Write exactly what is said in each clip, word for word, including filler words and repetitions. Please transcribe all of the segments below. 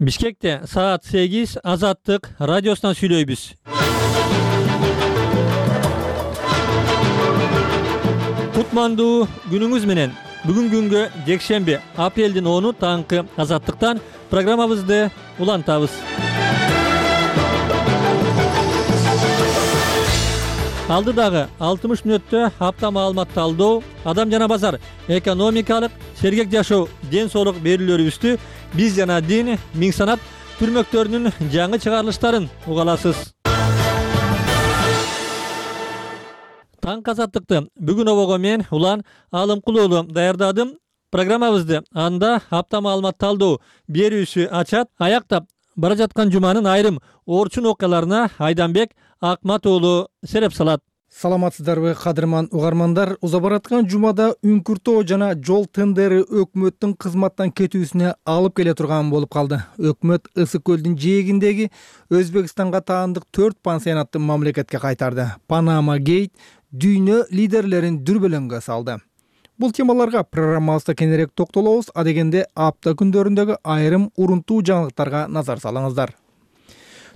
Бишкекте саат сегиз Азаттык радиосунан сүйлөйбүз. Кутмандуу күнүңүз менен. Бүгүн күнгө жекшемби апрелдин оны таңкы Азаттыктан программабызды улантабыз. Алдыдагы алтымыш мүнөттө апта маалымат талдоо, адам жана базар, экономикалык, сергек жашоо, ден соолук берүүлөрүбүздү биз жана дин, миң санат түрмөктөрүнүн жаңы чыгарылыштарын уга аласыз. Таң Азаттыкты бүгүн обого мен Улан Алымкул уулу даярдадым. Программабызды анда апта маалымат талдоо берүүсү ачат. Аяктап бара жаткан жуманын айрым орчун окуяларына Айданбек Акмат уулу сереп салат. Саламатсыздарбы, кадырман угармандар? Уза бараткан жумада үңкүртөө жана жол тендери өкмөттүн кызматтан кетүүсүнө алып келе турган болуп калды. Өкмөт Ысык көлдүн жээгиндеги Өзбекстанга таандык төрт пансионатты мамлекетке кайтарды. Панама Гейт дүйнө лидерлерин дүрбөлөңгө салды. Бул темаларга программабызда кененирээк токтолобуз. Адегенде апта күндөрүндөгү айрым урунтуу жаңылыктарга назар салыңыздар.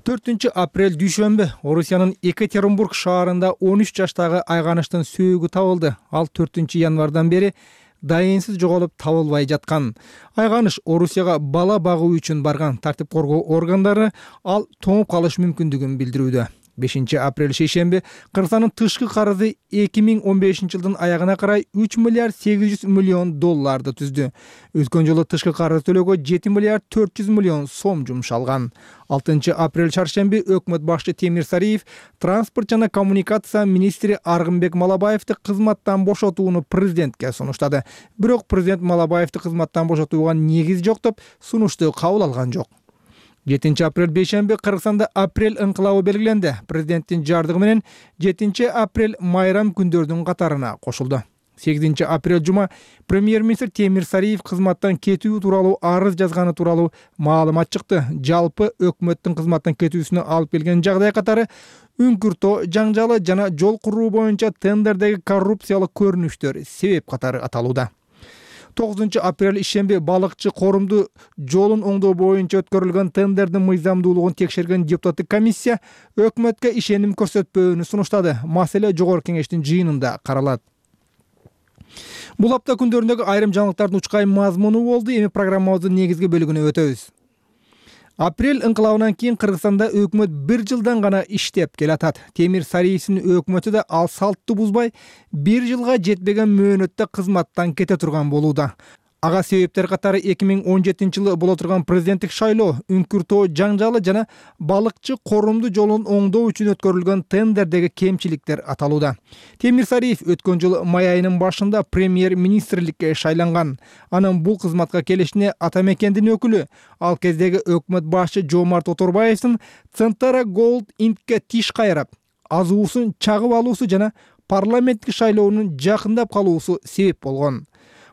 төртүнчү апрель дүйшөмбү Орусиянын Екатеринбург шаарында он үч жаштагы айганыштын сөөгү табылды. Ал төртүнчү январдан бери дайынсыз жоголуп табылбай жаткан. Айганыш Орусияга бала багуу үчүн барган. Тартип коргоо органдары ал тоңуп калыш мүмкүндүгүн билдирүүдө. бешинчи апрель шейшемби Кыргызстандын тышкы карызы эки миң он бешинчи жылдын аягына карай үч миллиард сегиз жүз миллион долларды түздү. Өткөн жылы тышкы карыз төлөөгө жети миллиард төрт жүз миллион сом жумшалган. алтынчы апрель чаршемби өкмөт башчы Темир Сариев транспорт жана коммуникация министри Аргынбек Малабаевди кызматтан бошотууну президентке сунуштады. Бирок президент Малабаевди кызматтан бошотууга негиз жок деп сунушту кабыл алган жок. жетинчи апрель бейшемби Кыргызстанда апрель ыңкылабы белгиленди. Президенттин жардыгы менен жетинчи апрель майрам күндөрдүн катарына кошулду. сегизинчи апрель жума премьер-министр Темир Сариев кызматтан кетүү тууралуу арыз жазганы тууралуу маалымат чыкты. Жалпы өкмөттүн кызматтан кетүүсүнө алып келген жагдай катары үңкүртөө жаңжалы жана жол куруу боюнча тендердеги коррупциялык көрүнүштөр себеп катары аталууда. тогузунчу апрель ишемби балыкчы корумду жолун оңдоо боюнча өткөрүлгөн тендердин мыйзамдуулугун текшерген депутаттык комиссия өкмөткө ишеним көрсөтпөөнү сунуштады. Маселе жогорку кеңештин жыйынында каралат. Бул апта күндөрүндөгү айрым жаңылыктардын учкай мазмуну болду. Эми программабыздын негизги бөлүгүнө өтөбүз. Апрель ыңкылабынан кийин Кыргызстанда өкмөт бир жылдан гана иштеп келатат. Темир Сариевдин өкмөтү да ал салтты бузбай бир жылга жетпеген мөөнөттө кызматтан кете турган болууда. Ага себептер катары эки миң он жетинчи жылы боло турган президенттик шайлоо, үңкүртөө жаңжалы жана балыкчы корумду жолун оңдоо үчүн өткөрүлгөн тендердеги кемчиликтер аталууда. Темир Сариев өткөн жылы май айынын башында премьер-министрликке шайланган. Анын бул кызматка келишине ата мекендин өкүлү, ал кездеги өкмөт башчы Жомарт Оторбаевдин Центара Голд Инкке тиш кайрап, азуусун чагып алуусу жана парламенттик шайлоонун жакындап калуусу себеп болгон.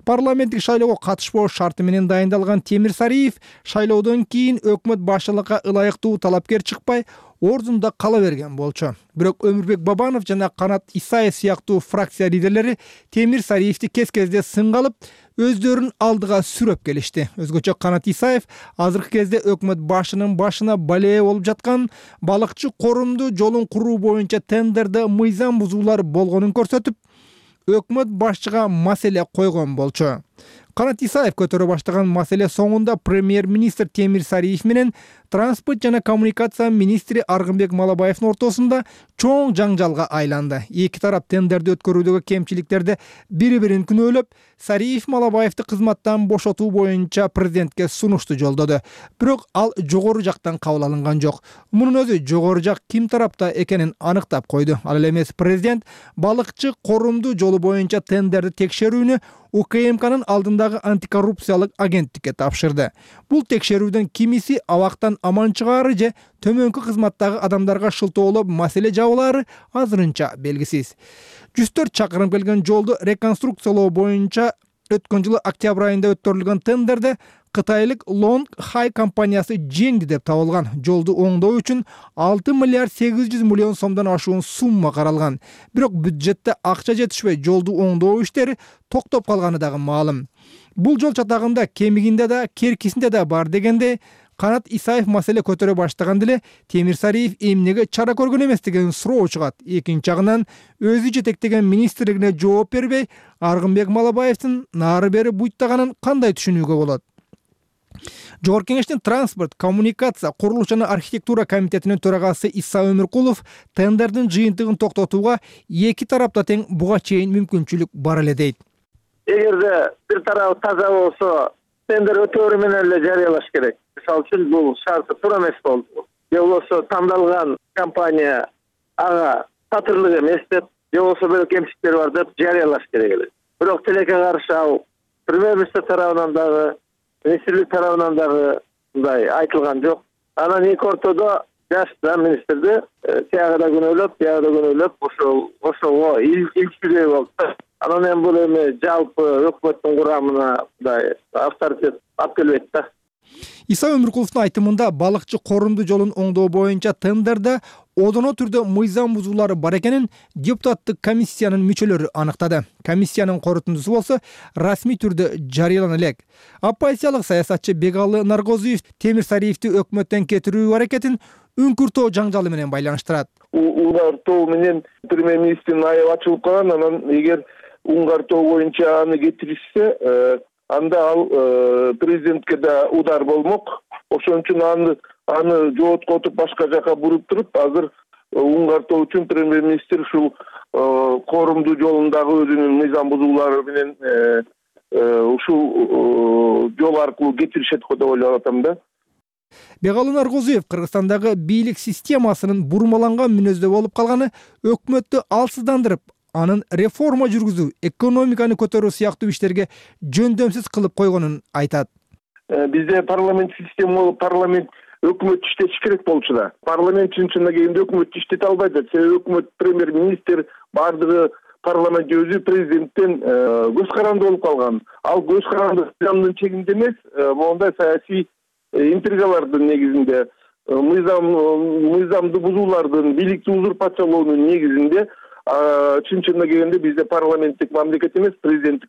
Парламенттик шайлоого катышпоо шарты менен дайындалган Темир Сариев шайлоодон кийин өкмөт башчылыкка ылайыктуу талапкер чыкпай ордунда кала берген болчу. Бирок Өмүрбек Бабанов жана Канат Исаев сыяктуу фракция лидерлери Темир Сариевди кез-кезде сынга алып, өздөрүн алдыга сүрөп келишти. Өзгөчө Канат Исаев азыркы кезде өкмөт башчынын башына балее болуп жаткан балыкчы корумду жолун куруу боюнча тендерде мыйзам бузуулар болгонун көрсөтүп, өкмөт башчыга маселе койгон болчу. Канат Исаев көтөрө баштаган маселе соңунда премьер-министр Темир Сариев менен транспорт жана коммуникация министри Аргынбек Малабаевдин ортосунда чоң жаңжалга айланды. Эки тарап тендерди өткөрүүдөгү кемчиликтерди бири-бирин күнөөлөп, Сариев Малабаевди кызматтан бошотуу боюнча президентке сунушту жолдоду. Бирок ал жогору жактан кабыл алынган жок. Мунун өзү жогору жак ким тарапта экенин аныктап койду. Ал эле эмес президент балыкчы корумду жолу боюнча тендерди текшерүүнү У К М К'нын алдындагы антикоррупциялык агенттикке тапшырды. Бул текшерүүдөн кимиси абактан аман чыгаары же төмөнкү кызматтагы адамдарга шылтоолоп маселе жабылаары азырынча белгисиз. жүз төрт чакырым келген жолду реконструкциялоо боюнча өткөн жылы октябрь айында өткөрүлгөн тендерде Кытайлык Long Hai компаниясы жеңди деп табылган. Жолду оңдоо үчүн алты миллиард сегиз жүз миллион сомдон ашуун сумма каралган. Бирок бюджетте акча жетишпей, жолду оңдоо иштери токтоп калганы дагы маалым. Бул жол чатагында кемигинде да, керкисинде да бар дегенде, Канат Исаев маселе көтөрө баштаганда эле Темир Сариев эмнеге чара көргөн эмес деген суроо чыгат. Экинчи жагынан өзү жетектеген министрлигине жооп бербей, Аргынбек Малабаевдин нары бери буйттаганын кандай түшүнүүгө болот? Жогорку Кеңештин транспорт, коммуникация, курулуш жана архитектура комитетинин төрагасы Иса Өмүркулов тендердин жыйынтыгын токтотууга эки тарапта тең буга чейин мүмкүнчүлүк бар эле дейт. Эгерде бир тарабы таза болсо, тендер өтөөрү менен эле жарыялаш керек. Мисалы үчүн бул шарты туура эмес болду. Же болбосо тандалган компания ага татырлык эмес деп, же болбосо бир кемчиликтер бар деп жарыялаш керек эле. Бирок тилекке каршы ал премьер-министр тарабынан дагы, министрлик тарабынан дагы мындай айтылган жок. Анан эки ортодо жаш министрди тияга да күнөөлөп, тияга да күнөөлөп, ошол ошого илчилүү болду. Анан эми бул эми жалпы өкмөттүн курамына мындай авторитет алып келбейт да. Иса Өмүркуловдун айтымында балыкчы корунду жолун оңдоо боюнча тендерде одоно түрдө мыйзам бузуулары бар экенин депутаттык комиссиянын мүчөлөрү аныктады. Комиссиянын корутундусу болсо расмий түрдө жарыялана элек. Оппозициялык саясатчы Бегалы Наргозиев Темир Сариевди өкмөттөн кетирүү аракетин үңкүртөө жаңжалы менен байланыштырат. Уңгартоо менен премьер-министрдин аябы ачылып калган. Анан эгер уңгартоо боюнча аны кетиришсе, анда ал президентке да удар болмок. Ошон үчүн аны аны жооткотуп башка жака буруп туруп, азыр уңгартоо үчүн премьер-министр ушул корумду жолундагы өзүнүн мыйзам бузуулары менен ушул жол аркылуу кетиришет го деп ойлоп атам да. Бегалы Наргозиев Кыргызстандагы бийлик системасынын бурмаланган мүнөздө болуп калганы өкмөттү алсыздандырып, анын реформа жүргүзүү, экономиканы көтөрүү сыяктуу иштерге жөндөмсүз кылып койгонун айтат. Бизде парламент система болуп, парламент өкмөт иштетиш керек болчу да. Парламент чын-чынына келгенде өкмөт иштете албайт. Себеби өкмөт, премьер-министр бардыгы парламент өзү президенттен көз каранды болуп калган. Ал көз каранды мыйзамдын чегинде эмес, мондай саясий интригалардын негизинде, мыйзам мыйзамды бузуулардын, бийликти узурпациялоонун негизинде чын-чынына келгенде бизде парламенттик мамлекет эмес, президенттик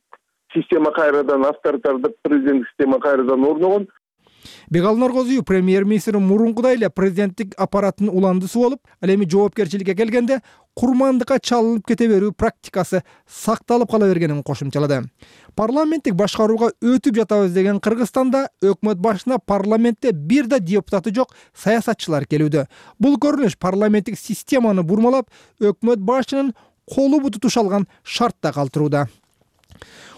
система кайрадан авторитардык президенттик система кайрадан орногон. Бегалы Наргозиев премьер-министр мурункудай эле президенттик аппараттын уландысы болуп, ал эми жоопкерчиликке келгенде курмандыкка чалынып кете берүү практикасы сакталып кала бергенин кошумчалады. Парламенттик башкарууга өтүп жатабыз деген Кыргызстанда өкмөт башына парламентте бир да депутаты жок саясатчылар келүүдө. Бул көрүнүш парламенттик системаны бурмалап, өкмөт башчынын колу буту тушалган шартта калтырууда.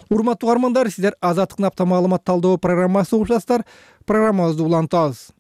Урматтуу угармандар, сиздер Азаттыктын апта маалымат талдоо программасы угуп жатасыздар. Программабызды улантабыз.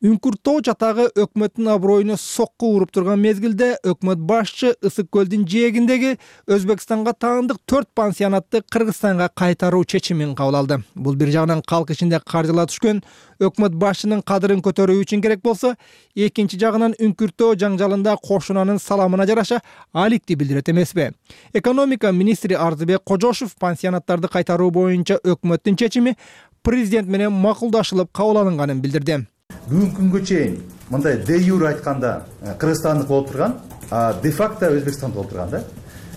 Үңкүртөө жатагы өкмөттүн аброюна сокку уруп турган мезгилде өкмөт башчы Ысык көлдүн жээгиндеги Өзбекстанга таандык төрт пансионатты Кыргызстанга кайтаруу чечимин кабыл алды. Бул бир жагынан калк ичинде каржыла түшкөн өкмөт башчынын кадырын көтөрүү үчүн керек болсо, экинчи жагынан үңкүртөө жаңжалында кошунанын саламына жараша аликти билдирет эмеспи? Экономика министри Арзыбек Кожошов пансионаттарды кайтаруу боюнча өкмөттүн чечими президент менен макулдашылып кабыл алынганын билдирди. Бүгүнкү күнгө чейин мындай де юре айтканда Кыргызстандык болуп турган, а де факто Өзбекстан болуп турган да.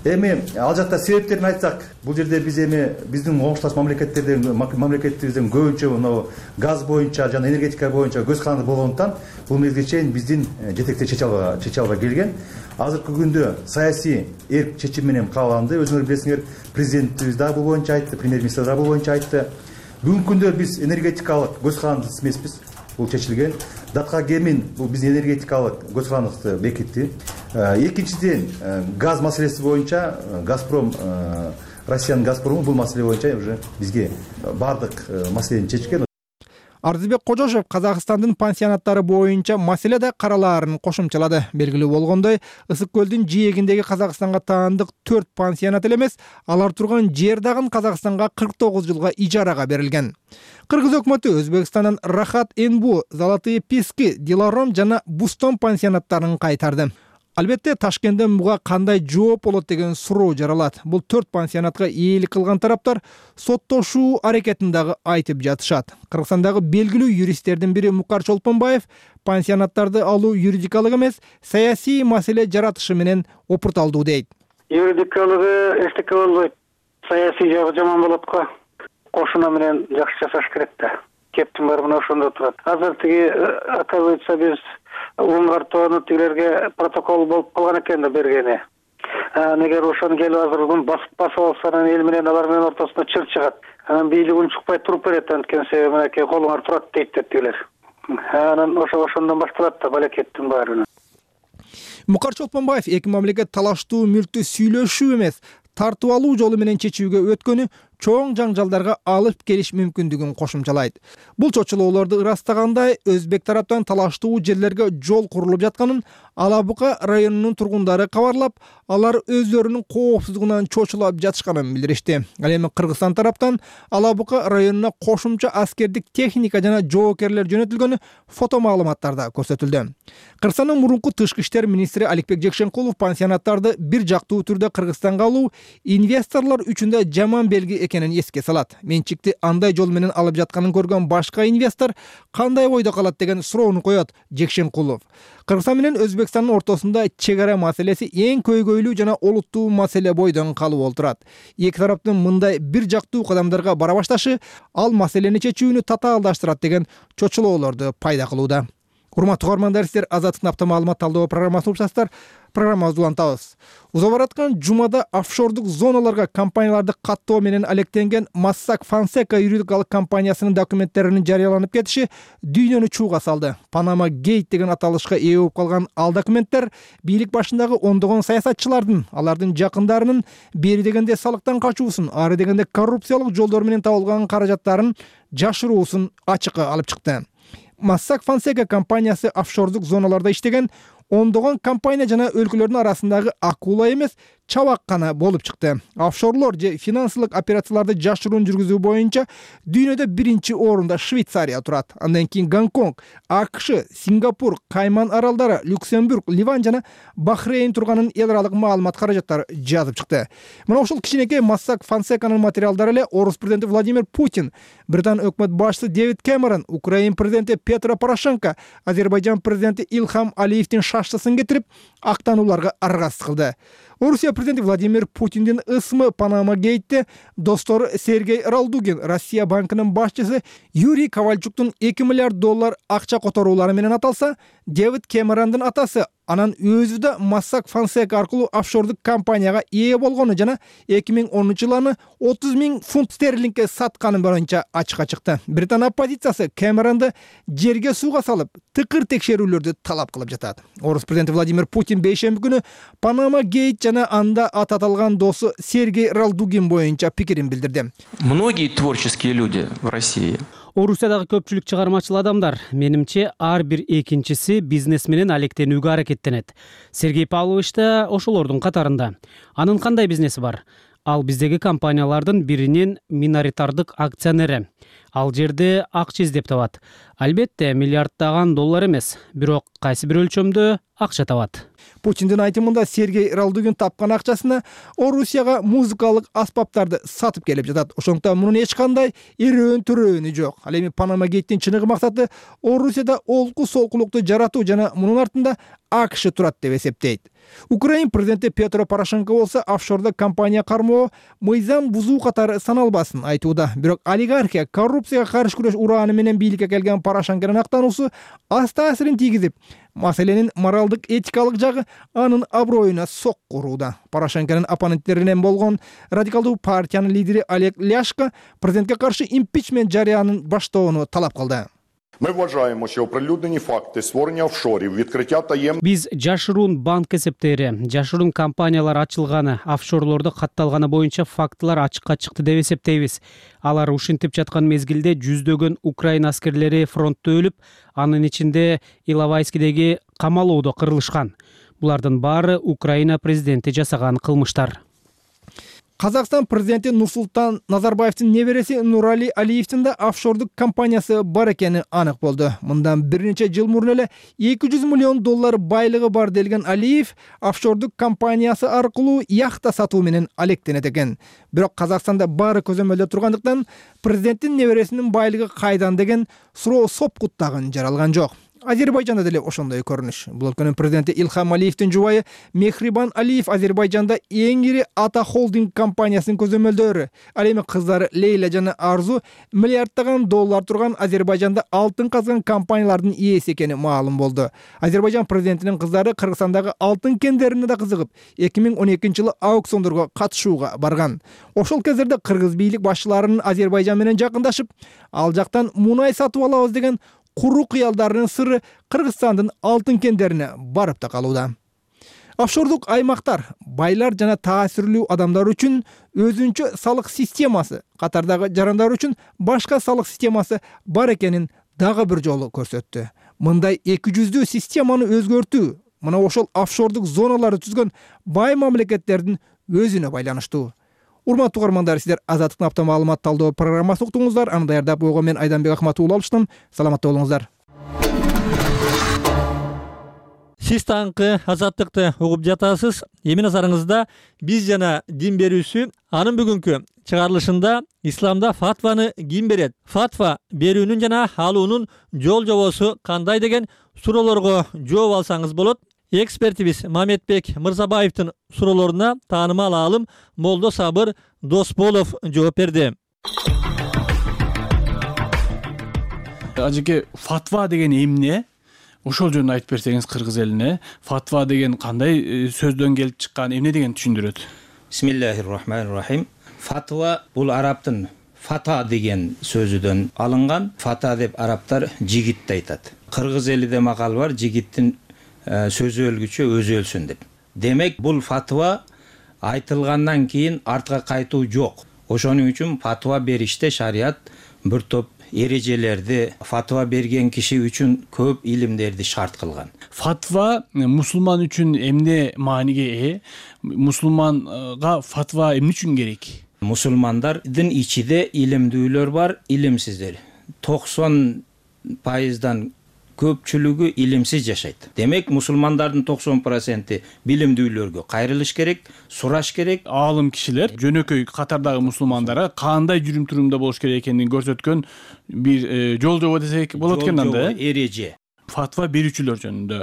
Эми ал жакта себептерин айтсак, бул жерде биз эми биздин коңушташ мамлекеттерден мамлекетибизден көбүнчө мына газ боюнча жана энергетика боюнча көз каранды болгондуктан бул мезгилге чейин биздин жетектер чече албай чече албай келген. Азыркы күндө саясий эрк чечим менен кабыл алынды. Өзүңөр билесиңер, президентибиз да бул боюнча айтты, премьер-министр да бул боюнча айтты. Бүгүнкү күндө биз энергетикалык көз карандысыз эмеспиз. Бул чечилген. Датка Гемин бул биздин энергетикалык көз карандыкты бекитти. Экинчиден, газ маселеси боюнча Газпром, Россиянын Газпрому бул маселе боюнча уже бизге бардык маселени чечкен. Арзыбек Кожошов Казакстандын пансионаттары боюнча маселе да каралаарын кошумчалады. Белгилүү болгондой, Ысык көлдүн жээгиндеги Казакстанга таандык төрт пансионат эле эмес, алар турган жер дагы Казакстанга кырк тогуз жылга ижарага берилген. Кыргыз өкмөтү Өзбекстандын Рахат Энбу, Золотые Пески, Диларом жана Бустон пансионаттарын кайтарды. Албетте Ташкенттен буга кандай жооп болот деген суроо жаралат. Бул төрт пансионатка ээлик кылган тараптар соттошуу аракетин дагы айтып жатышат. Кыргызстандагы белгилүү юристтердин бири Мукар Чолпонбаев пансионаттарды алуу юридикалык эмес, саясий маселе жаратышы менен опурталдуу дейт. Юридикалыгы эчтеке болбойт. Саясий жагы жаман болот го. Кошуна менен жакшы жашаш керек да. кептин баары мына ошондо турат. Азыр тиги оказывается биз Улунгартоону тигилерге протокол болуп калган экен да бергени. Эгер ошону келип азыр басып алса, анан эл менен алар менен ортосуна чыр чыгат. Анан бийлик унчукпай туруп берет, анткени себеби мынакей колуңар турат дейт тигилер. Анан ошо ошондон башталат да балекеттин баары. Мукар Чолпонбаев эки мамлекет талаштуу мүлктү сүйлөшүү эмес, тартып алуу жолу менен чечүүгө өткөнү чоң жаңжалдарга алып келиш мүмкүндүгүн кошумчалайт. Бул чочулоолорду ырастагандай өзбек тараптан талаштуу жерлерге жол курулуп жатканын Ала Бука районунун тургундары кабарлап, алар өздөрүнүн коопсуздугунан чочулап жатышканын билдиришти. Ал эми Кыргызстан тараптан Ала Бука районуна кошумча аскердик техника жана жоокерлер жөнөтүлгөнү фото маалыматтарда көрсөтүлдү. Кыргызстандын мурунку тышкы иштер министри Аликбек Жекшенкулов пансионаттарды бир жактуу түрдө Кыргызстанга алуу инвесторлор үчүн да жаман белги экенин эске салат. Менчикти андай жол менен алып жатканын көргөн башка инвестор кандай ойдо калат деген суроону коет Жекшенкулов. Кыргызстан менен Өзбекстандын ортосунда чек ара маселеси эң көйгөйлүү жана олуттуу маселе бойдон калып отурат. Эки тараптын мындай бир жактуу кадамдарга бара башташы ал маселени чечүүнү татаалдаштырат деген чочулоолорду пайда кылууда. Урматтуу угармандар, сиздер Азаттыктын апта маалымат талдоо программасын угушасыздар. Программабызды улантабыз. Уза бараткан жумада офшордук зоналарга компанияларды каттоо менен алектенген Mossack Fonseca юридикалык компаниясынын документтеринин жарыяланып кетиши дүйнөнү чууга салды. Panama Gate деген аталышка ээ болуп калган ал документтер бийлик башындагы ондогон саясатчылардын, алардын жакындарынын бери дегенде салыктан качуусун, ары дегенде коррупциялык жолдор менен табылган каражаттарын жашыруусун ачыкка алып чыкты. Mossack Fonseca компаниясы офшордук зоналарда иштеген ондогон компания жана өлкөлөрдүн арасындагы акула эмес, чабак гана болуп чыкты. Офшорлор же финансылык операцияларды жашыруун жүргүзүү боюнча дүйнөдө биринчи орунда Швейцария турат. Андан кийин Гонконг, АКШ, Сингапур, Кайман аралдары, Люксембург, Ливан жана Бахрейн турганын эл аралык маалымат каражаттары жазып чыкты. Мына ушул кичинекей Mossack Fonsecanын материалдары эле орус президенти Владимир Путин, Британ өкмөт башчысы Дэвид Кэмерон, Украин президенти Петро Порошенко, Азербайжан президенти Илхам Алиевдин шаштысын кетирип, актанууларга аргасыз кылды. Орусия президенти Владимир Путиндин ысмы Panama Gate'те достору Сергей Ралдугин, Россия банкынын башчысы Юрий Ковальчуктун эки миллиард доллар акча которуулары менен аталса, Дэвид Кэмерондун атасы анан өзү да Mossack Fonseca аркылуу офшордук компанияга ээ болгону жана эки миң онунчу жылы отуз миң фунт стерлингке сатканы боюнча ачыкка чыкты. Британ оппозициясы Кэмеронду жерге сууга салып, тыкыр текшерүүлөрдү талап кылып жатат. Орус президенти Владимир Путин бейшемби күнү Panama Gate жана анда аты аталган досу Сергей Ралдугин боюнча пикирин билдирди. Многие творческие люди в России. Орусиядагы көпчүлүк чыгармачыл адамдар, менимче, ар бир экинчиси бизнес менен алектенүүгө аракеттенет. Сергей Павлович да ошолордун катарында. Анын кандай бизнеси бар? Ал биздеги компаниялардын биринин миноритардык акционери. Ал жерде акча издеп табат. Албетте, миллиарддаган доллар эмес, бирок кайсы бир өлчөмдө акча табат. Путиндин айтымында Сергей Ралдугин тапкан акчасына Орусияга музыкалык аспаптарды сатып келип жатат. Ошондуктан мунун эч кандай эрөөн төрөөнү жок. Ал эми Panama Gate'тин чыныгы максаты Орусияда олку солкулукту жаратуу жана мунун артында АКШ турат деп эсептейт. Украин президенти Петро Порошенко болсо офшордо компания кармоо мыйзам бузуу катары саналбасын айтууда. Бирок олигархия, коррупцияга каршы күрөш урааны менен бийликке келген Порошенконун актануусу аз таасирин тийгизип, маселенин моралдык этикалык жагы анын аброюна сокку урууда. Порошенконун оппоненттеринен болгон радикалдуу партиянын лидери Олег Ляшко президентке каршы импичмент жарыянын баштоону талап кылды. Ми вважаємо, що оприлюднені факти створення офшорів, відкриття таємних... Биз жашыруун банк эсептери, жашыруун компаниялар ачылганы, офшорлордо катталганы боюнча фактылар ачыкка чыкты деп эсептейбиз. Алар ушинтип жаткан мезгилде жүздөгөн Украин аскерлери фронтто өлүп, анын ичинде Иловайскидеги камалоодо кырылышкан. Булардын баары Украина президенти жасаган кылмыштар. Казакстан президенти Нурсултан Назарбаевдин небереси Нурали Алиевдин да офшордук компаниясы бар экени анык болду. Мындан бир нече жыл мурун эле эки жүз миллион доллар байлыгы бар делген Алиев офшордук компаниясы аркылуу яхта сатуу менен алектенет экен. Бирок Казакстанда баары көзөмөлдө тургандыктан президенттин небересинин байлыгы кайдан деген суроо сопкут дагы жаралган жок. Азербайжанда деле ошондой көрүнүш. Бул өлкөнүн президенти Илхам Алиевдин жубайы Мехрибан Алиев Азербайжанда эң ири Ата холдинг компаниясынын көзөмөлдөрү. Ал эми кыздары Лейла жана Арзу миллиарддаган доллар турган Азербайжанда алтын казган компаниялардын ээси экени маалым болду. Азербайжан президентинин кыздары Кыргызстандагы алтын кендерине да кызыгып, эки миң он экинчи жылы аукциондорго катышууга барган. Ошол кездерде кыргыз бийлик башчыларынын Азербайжан менен жакындашып, ал жактан мунай сатып алабыз деген куру кыялдарынын сыры Кыргызстандын алтын кендерине барып да калууда. Офшордук аймактар байлар жана таасирлүү адамдар үчүн өзүнчө салык системасы, катардагы жарандар үчүн башка салык системасы бар экенин дагы бир жолу көрсөттү. Мындай эки жүздүү системаны өзгөртүү мына ошол офшордук зоналарды түзгөн бай мамлекеттердин өзүнө байланыштуу. Урматтуу угармандар, сиздер Азаттыктын апта маалымат талдоо программасын уктуңуздар. Аны даярдап койгон мен Айданбек Ахматов уулу алыштым. Саламатта болуңуздар. Сиз таңкы Азаттыкты угуп жатасыз. Эми назарыңызда биз жана дин берүүсү анын бүгүнкү чыгарылышында исламда фатваны ким берет? Фатва берүүнүн жана алуунун жол жобосу кандай деген суроолорго жооп алсаңыз болот. Экспертибиз Мамедбек Мырзабаевдин суроолоруна таанымал аалым Молдо Сабыр Досболов жооп берди. Ажеке, фатва деген эмне? Ошол жөнүндө айтып берсеңиз кыргыз элине. Фатва деген кандай сөздөн келип чыккан, эмне деген түшүндүрөт? Бисмиллахир-рахманир-рахим. Фатва бул араптын фата деген сөзүдөн алынган. Фата деп араптар жигитти айтат. Кыргыз элиде макал бар, жигиттин сөзү өлгүчө өзү өлсүн деп. Демек бул фатва айтылгандан кийин артка кайтуу жок. Ошонун үчүн фатва бериште шарият бир топ эрежелерди, фатва берген киши үчүн көп илимдерди шарт кылган. Фатва мусулман үчүн эмне мааниге ээ? Мусулманга фатва эмне үчүн керек? Мусулмандардын ичинде илимдүүлөр бар, илимсиздер. токсон пайыздан көпчүлүгү илимсиз жашайт. Демек мусулмандардын токсон проценти билимдүүлөргө кайрылыш керек, сураш керек. Аалым кишилер жөнөкөй катардагы мусулмандарга кандай жүрүм турумда болуш керек экенин көрсөткөн бир жол жобо десек болот экен анда. Эреже. Фатва берүүчүлөр жөнүндө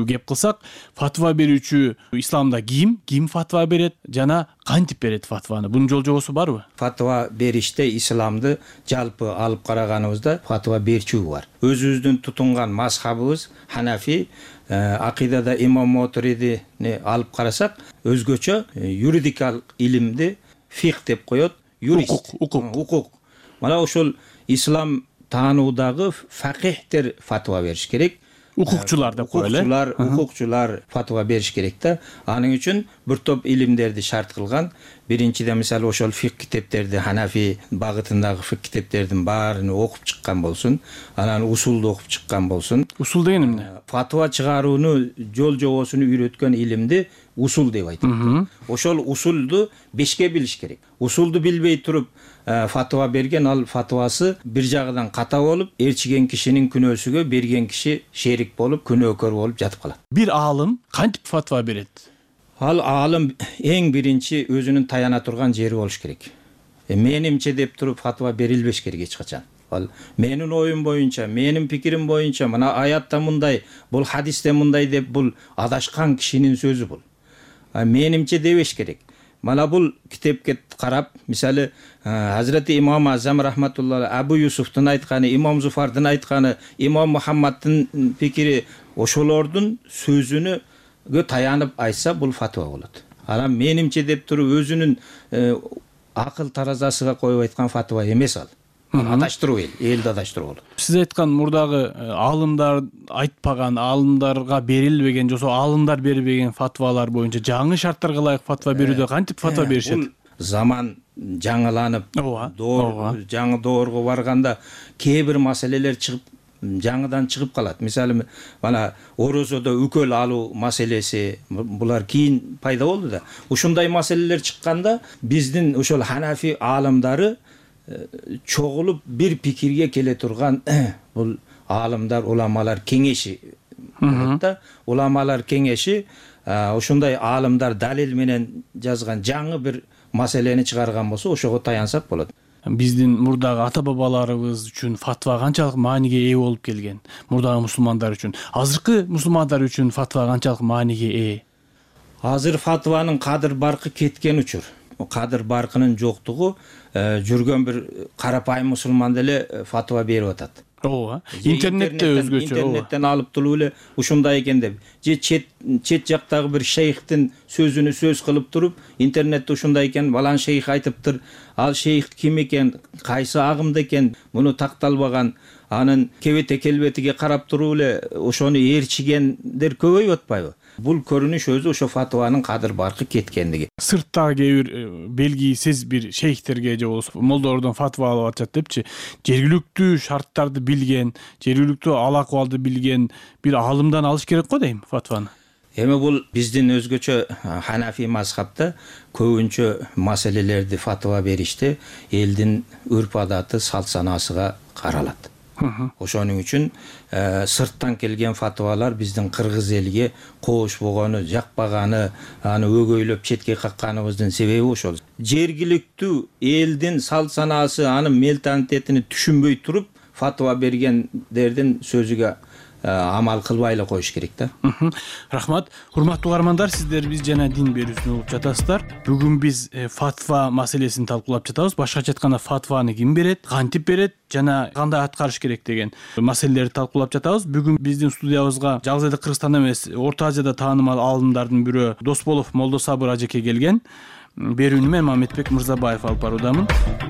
кеп кылсак, фатва берүүчү исламда ким, ким фатва берет жана кантип берет фатваны? Бунун жол жобосу барбы? Фатва бериште исламды жалпы алып караганыбызда фатва берүүчү бар. Өзүбүздүн тутунган мазхабыбыз Ханафи, акыйдада имам Мотуридини алып карасак, өзгөчө юридикалык илимди фих деп коет, юрист, укук. Укук. Мына ошол ислам таануудагы факихтер фатва бериш керек. Укукчулар деп коелу. Укукчулар, укукчулар фатва бериш керек да. Анын үчүн бир топ илимдерди шарт кылган. Биринчиден мисалы ошол фик китептерди, Ханафи багытындагы фик китептердин баарын окуп чыккан болсун. Анан усулду окуп чыккан болсун. Усул деген эмне? Фатва чыгарууну жол жобосуну үйрөткөн илимди усул деп айтат. Ошол усулду бешке билиш керек. Усулду билбей туруп фатва берген, ал фатвасы бир жагынан ката болуп, ээрчиген кишинин күнөөсүгө берген киши шерик болуп, күнөөкөр болуп жатып калат. Бир аалым кантип фатва берет? Ал аалым эң биринчи өзүнүн таяна турган жери болуш керек. Менимче деп туруп фатва берилбеш керек эч качан. Ал менин оюм боюнча, менин пикирим боюнча, мына аятта мындай, бул хадисте мындай деп бул адашкан кишинин сөзү бул. Менимче дебеш керек. Мана бул китепке карап, мисалы Hazreti имам Азам рахматуллахи Абу Юсуфтун айтканы, имам Зуфардын айтканы, имам Мухаммаддын пикири, ошолордун сөзүнө таянып айтса бул фатва болот. Анан менимче деп туруп өзүнүн акыл таразасыга коюп айткан фатва эмес ал. Адаштыруу эл, элди адаштыруу болот. Сиз айткан мурдагы аалымдар айтпаган, аалымдарга берилбеген, жосо аалымдар бербеген фатвалар боюнча жаңы шарттарга ылайык фатва берүүдө кантип фатва беришет? Бул заман жаңыланып, доор жаңы доорго барганда кээ бир маселелер чыгып, жаңыдан чыгып калат. Мисалы, мана орозодо үкөл алуу маселеси, булар кийин пайда болду да. Ушундай маселелер чыкканда биздин ошол Ханафи аалымдары чогулуп бир пикирге келе турган бул аалымдар, уламалар кеңеши болот да. Уламалар кеңеши ошондой аалымдар далил менен жазган жаңы бир маселени чыгарган болсо, ошого таянсак болот. биздин мурдагы ата бабаларыбыз үчүн фатва канчалык мааниге ээ болуп келген, мурдагы мусулмандар үчүн, азыркы мусулмандар үчүн фатва канчалык мааниге ээ? Азыр фатванын кадыр баркы кеткен учур. Кадыр баркынын жоктугу жүргөн бир карапайым мусулман деле фатва берип атат. Ооба. Интернетте өзгөчө. Интернеттен алып туруп эле ушундай экен деп. Же чет чет жактагы бир шейхтин сөзүнү сөз кылып туруп, интернетте ушундай экен, балан шейх айтыптыр. Ал шейх ким экен, кайсы агымда экен, муну такталбаган, анын кебете келбетиге карап туруп эле ошону ээрчигендер көбөйүп атпайбы? Бул көрүнүш өзү ошо фатванын кадыр баркы кеткендиги. Сырттагы кээ бир белгисиз бир шейхтерге же болбосо молдордон фатва алып атышат депчи, жергиликтүү шарттарды билген, жергиликтүү ал акыбалды билген бир аалымдан алыш керек го дейм фатваны. Эми бул биздин өзгөчө Ханафи мазхабта көбүнчө маселелерди фатва бериште элдин үрп адаты, салт санасыга каралат. Ошонун үчүн сырттан келген фатвалар биздин кыргыз элиге коош болгону, жакпаганы, аны өгөйлөп четке какканыбыздын себеби ошол. Жергиликтүү элдин салт санасы, анын менталитетин түшүнбөй туруп фатва бергендердин сөзүгө амал кылбай эле коюш керек да. Рахмат. Урматтуу угармандар, сиздер биз жана дин берүүсүн угуп жатасыздар. Бүгүн биз фатва маселесин талкуулап жатабыз. Башкача айтканда фатваны ким берет, кантип берет жана кандай аткарыш керек деген маселелерди талкуулап жатабыз. Бүгүн биздин студиябызга жалгыз эле Кыргызстанда эмес, Орто Азияда таанымал аалымдардын бирөө Досболов Молдосабыр ажеке келген. Берүүнү мен Мамедбек Мырзабаев алып баруудамын.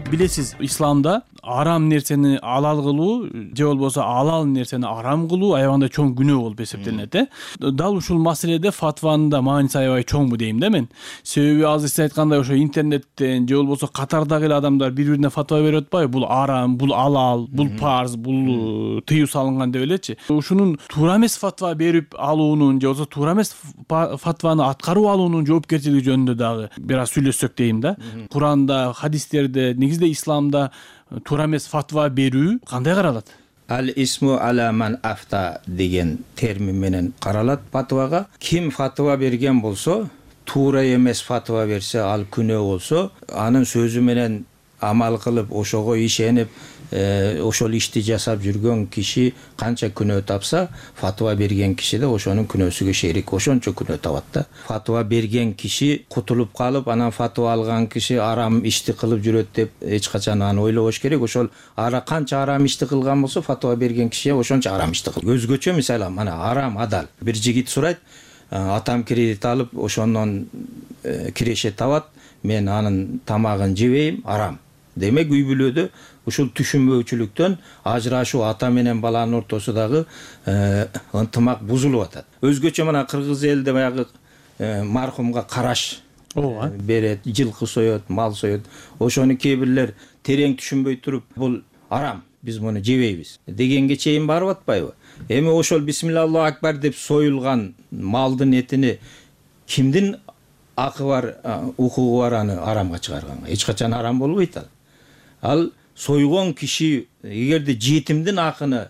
Билесиз, исламда арам нерсени алал кылуу же болбосо алал нерсени арам кылуу аябаганда чоң күнөө болуп эсептелинет, э? Дал ушул маселеде фатванын да мааниси аябай чоңбу дейм да мен. Себеби азыр сиз айткандай ошо интернеттен же болбосо катардагы эле адамдар бири-бирине фатва берип атпайбы? Бул арам, бул алал, бул парз, бул тыюу салынган деп элечи. Ушунун туура эмес фатва берип алуунун же болбосо туура эмес фатваны аткарып алуунун жоопкерчилиги жөнүндө дагы бир аз сүйлөшсөк дейм да. Куранда, хадистерде, негизде исламда туура эмес фатва берүү кандай каралат? Ал исму аля ман афта деген термин менен каралат фатвага. Ким фатва берген болсо, туура эмес фатва берсе, ал күнөө болсо, анын сөзү менен амал кылып, ошого ишенип, ошол ишти жасап жүргөн киши канча күнөө тапса, фатва берген киши да ошонун күнөөсүгө шерик, ошончо күнөө табат да. Фатва берген киши кутулуп калып, анан фатва алган киши арам ишти кылып жүрөт деп эч качан аны ойлобош керек. Ошол ара канча арам ишти кылган болсо, фатва берген киши ошончо арам ишти кыл. Өзгөчө мисалы, мана арам адал. Бир жигит сурайт, атам кредит алып, ошондон киреше табат, мен анын тамагын жебейм, арам. Демек үй бүлөдө ушул түшүнбөөчүлүктөн ажырашуу, ата менен баланын ортосундагы ынтымак бузулуп атат. Өзгөчө мына кыргыз элде баягы мархумга караш берет, жылкы соет, мал соет. Ошону кээ бирлер терең түшүнбөй туруп, бул арам, биз муну жебейбиз дегенге чейин барып атпайбы? Эми ошол бисмиллаху акбар деп союлган малдын этини кимдин акы бар, укугу бар аны арамга чыгарганга? Эч качан арам болбойт ал. Ал сойгон киши эгерде жетимдин акыны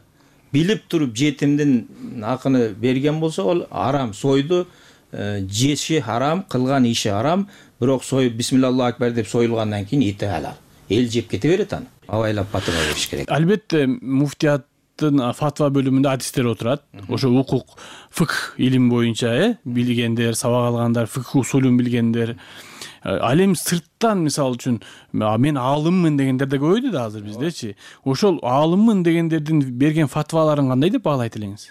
билип туруп жетимдин акыны берген болсо, ол арам. Сойду, жеши харам, кылган иши арам, бирок сой бисмиллаху акбар деп союлгандан кийин эти халал. Эл жеп кете берет аны. Абайлап фатва бериш керек. Албетте муфтияттын фатва бөлүмүндө адистер отурат. Ошо укук, фикх илим боюнча, э, билгендер, сабак алгандар, фикх усулун билгендер. Ал эми сырттан мисалы үчүн мен аалыммын дегендер да көбөйдү да азыр биздечи. Ошол аалыммын дегендердин берген фатваларын кандай деп баалайт элеңиз?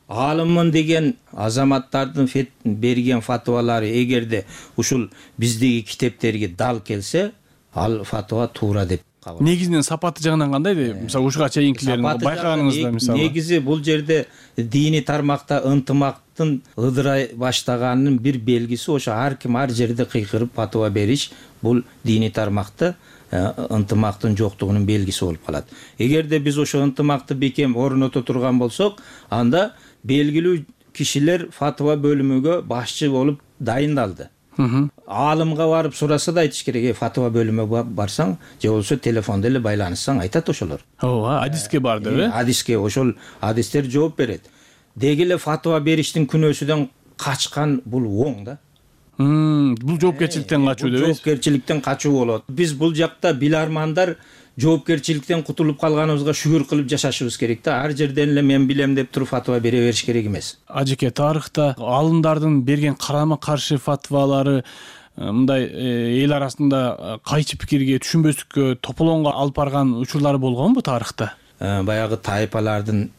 Аалыммын деген азаматтардын берген фатвалары эгерде ушул биздеги китептерге дал келсе, ал фатва туура деп кабыл. Негизинен сапаты жагынан кандай деп, мисалы ушуга чейинкилерин байкаганыңызда мисалы. Негизи бул жерде диний тармакта ынтымактын ыдырай баштаганынын бир белгиси ошо ар ким ар жерде кыйкырып фатва бериш, бул диний тармакта ынтымактын жоктугунун белгиси болуп калат. Эгерде биз ошо ынтымакты бекем орното турган болсок, анда белгилүү кишилер фатва бөлүмүгө башчы болуп дайындалды. Аалымга барып сураса да айтыш керек, фатва бөлүмүгө барсаң, же болбосо телефондо эле байланышсаң айтат ошолор. Ооба, адиске бар деп, э? Адиске, ошол адистер жооп берет. Деги эле фатва бериштин күнөөсүнөн качкан бул оң да. Бул жоопкерчиликтен качуу деп, жоопкерчиликтен качуу болот. Биз бул жакта билармандар жоопкерчиликтен кутулуп калганыбызга шүгүр кылып жашашыбыз керек да. Ар жерден эле мен билем деп туруп фатва бере бериш керек эмес. Ажеке, тарыхта алымдардын берген карама каршы фатвалары мындай эл арасында кайчы пикирге, түшүнбөстүккө, тополоңго алып барган учурлары болгонбу тарыхта? Баягы тайпалардын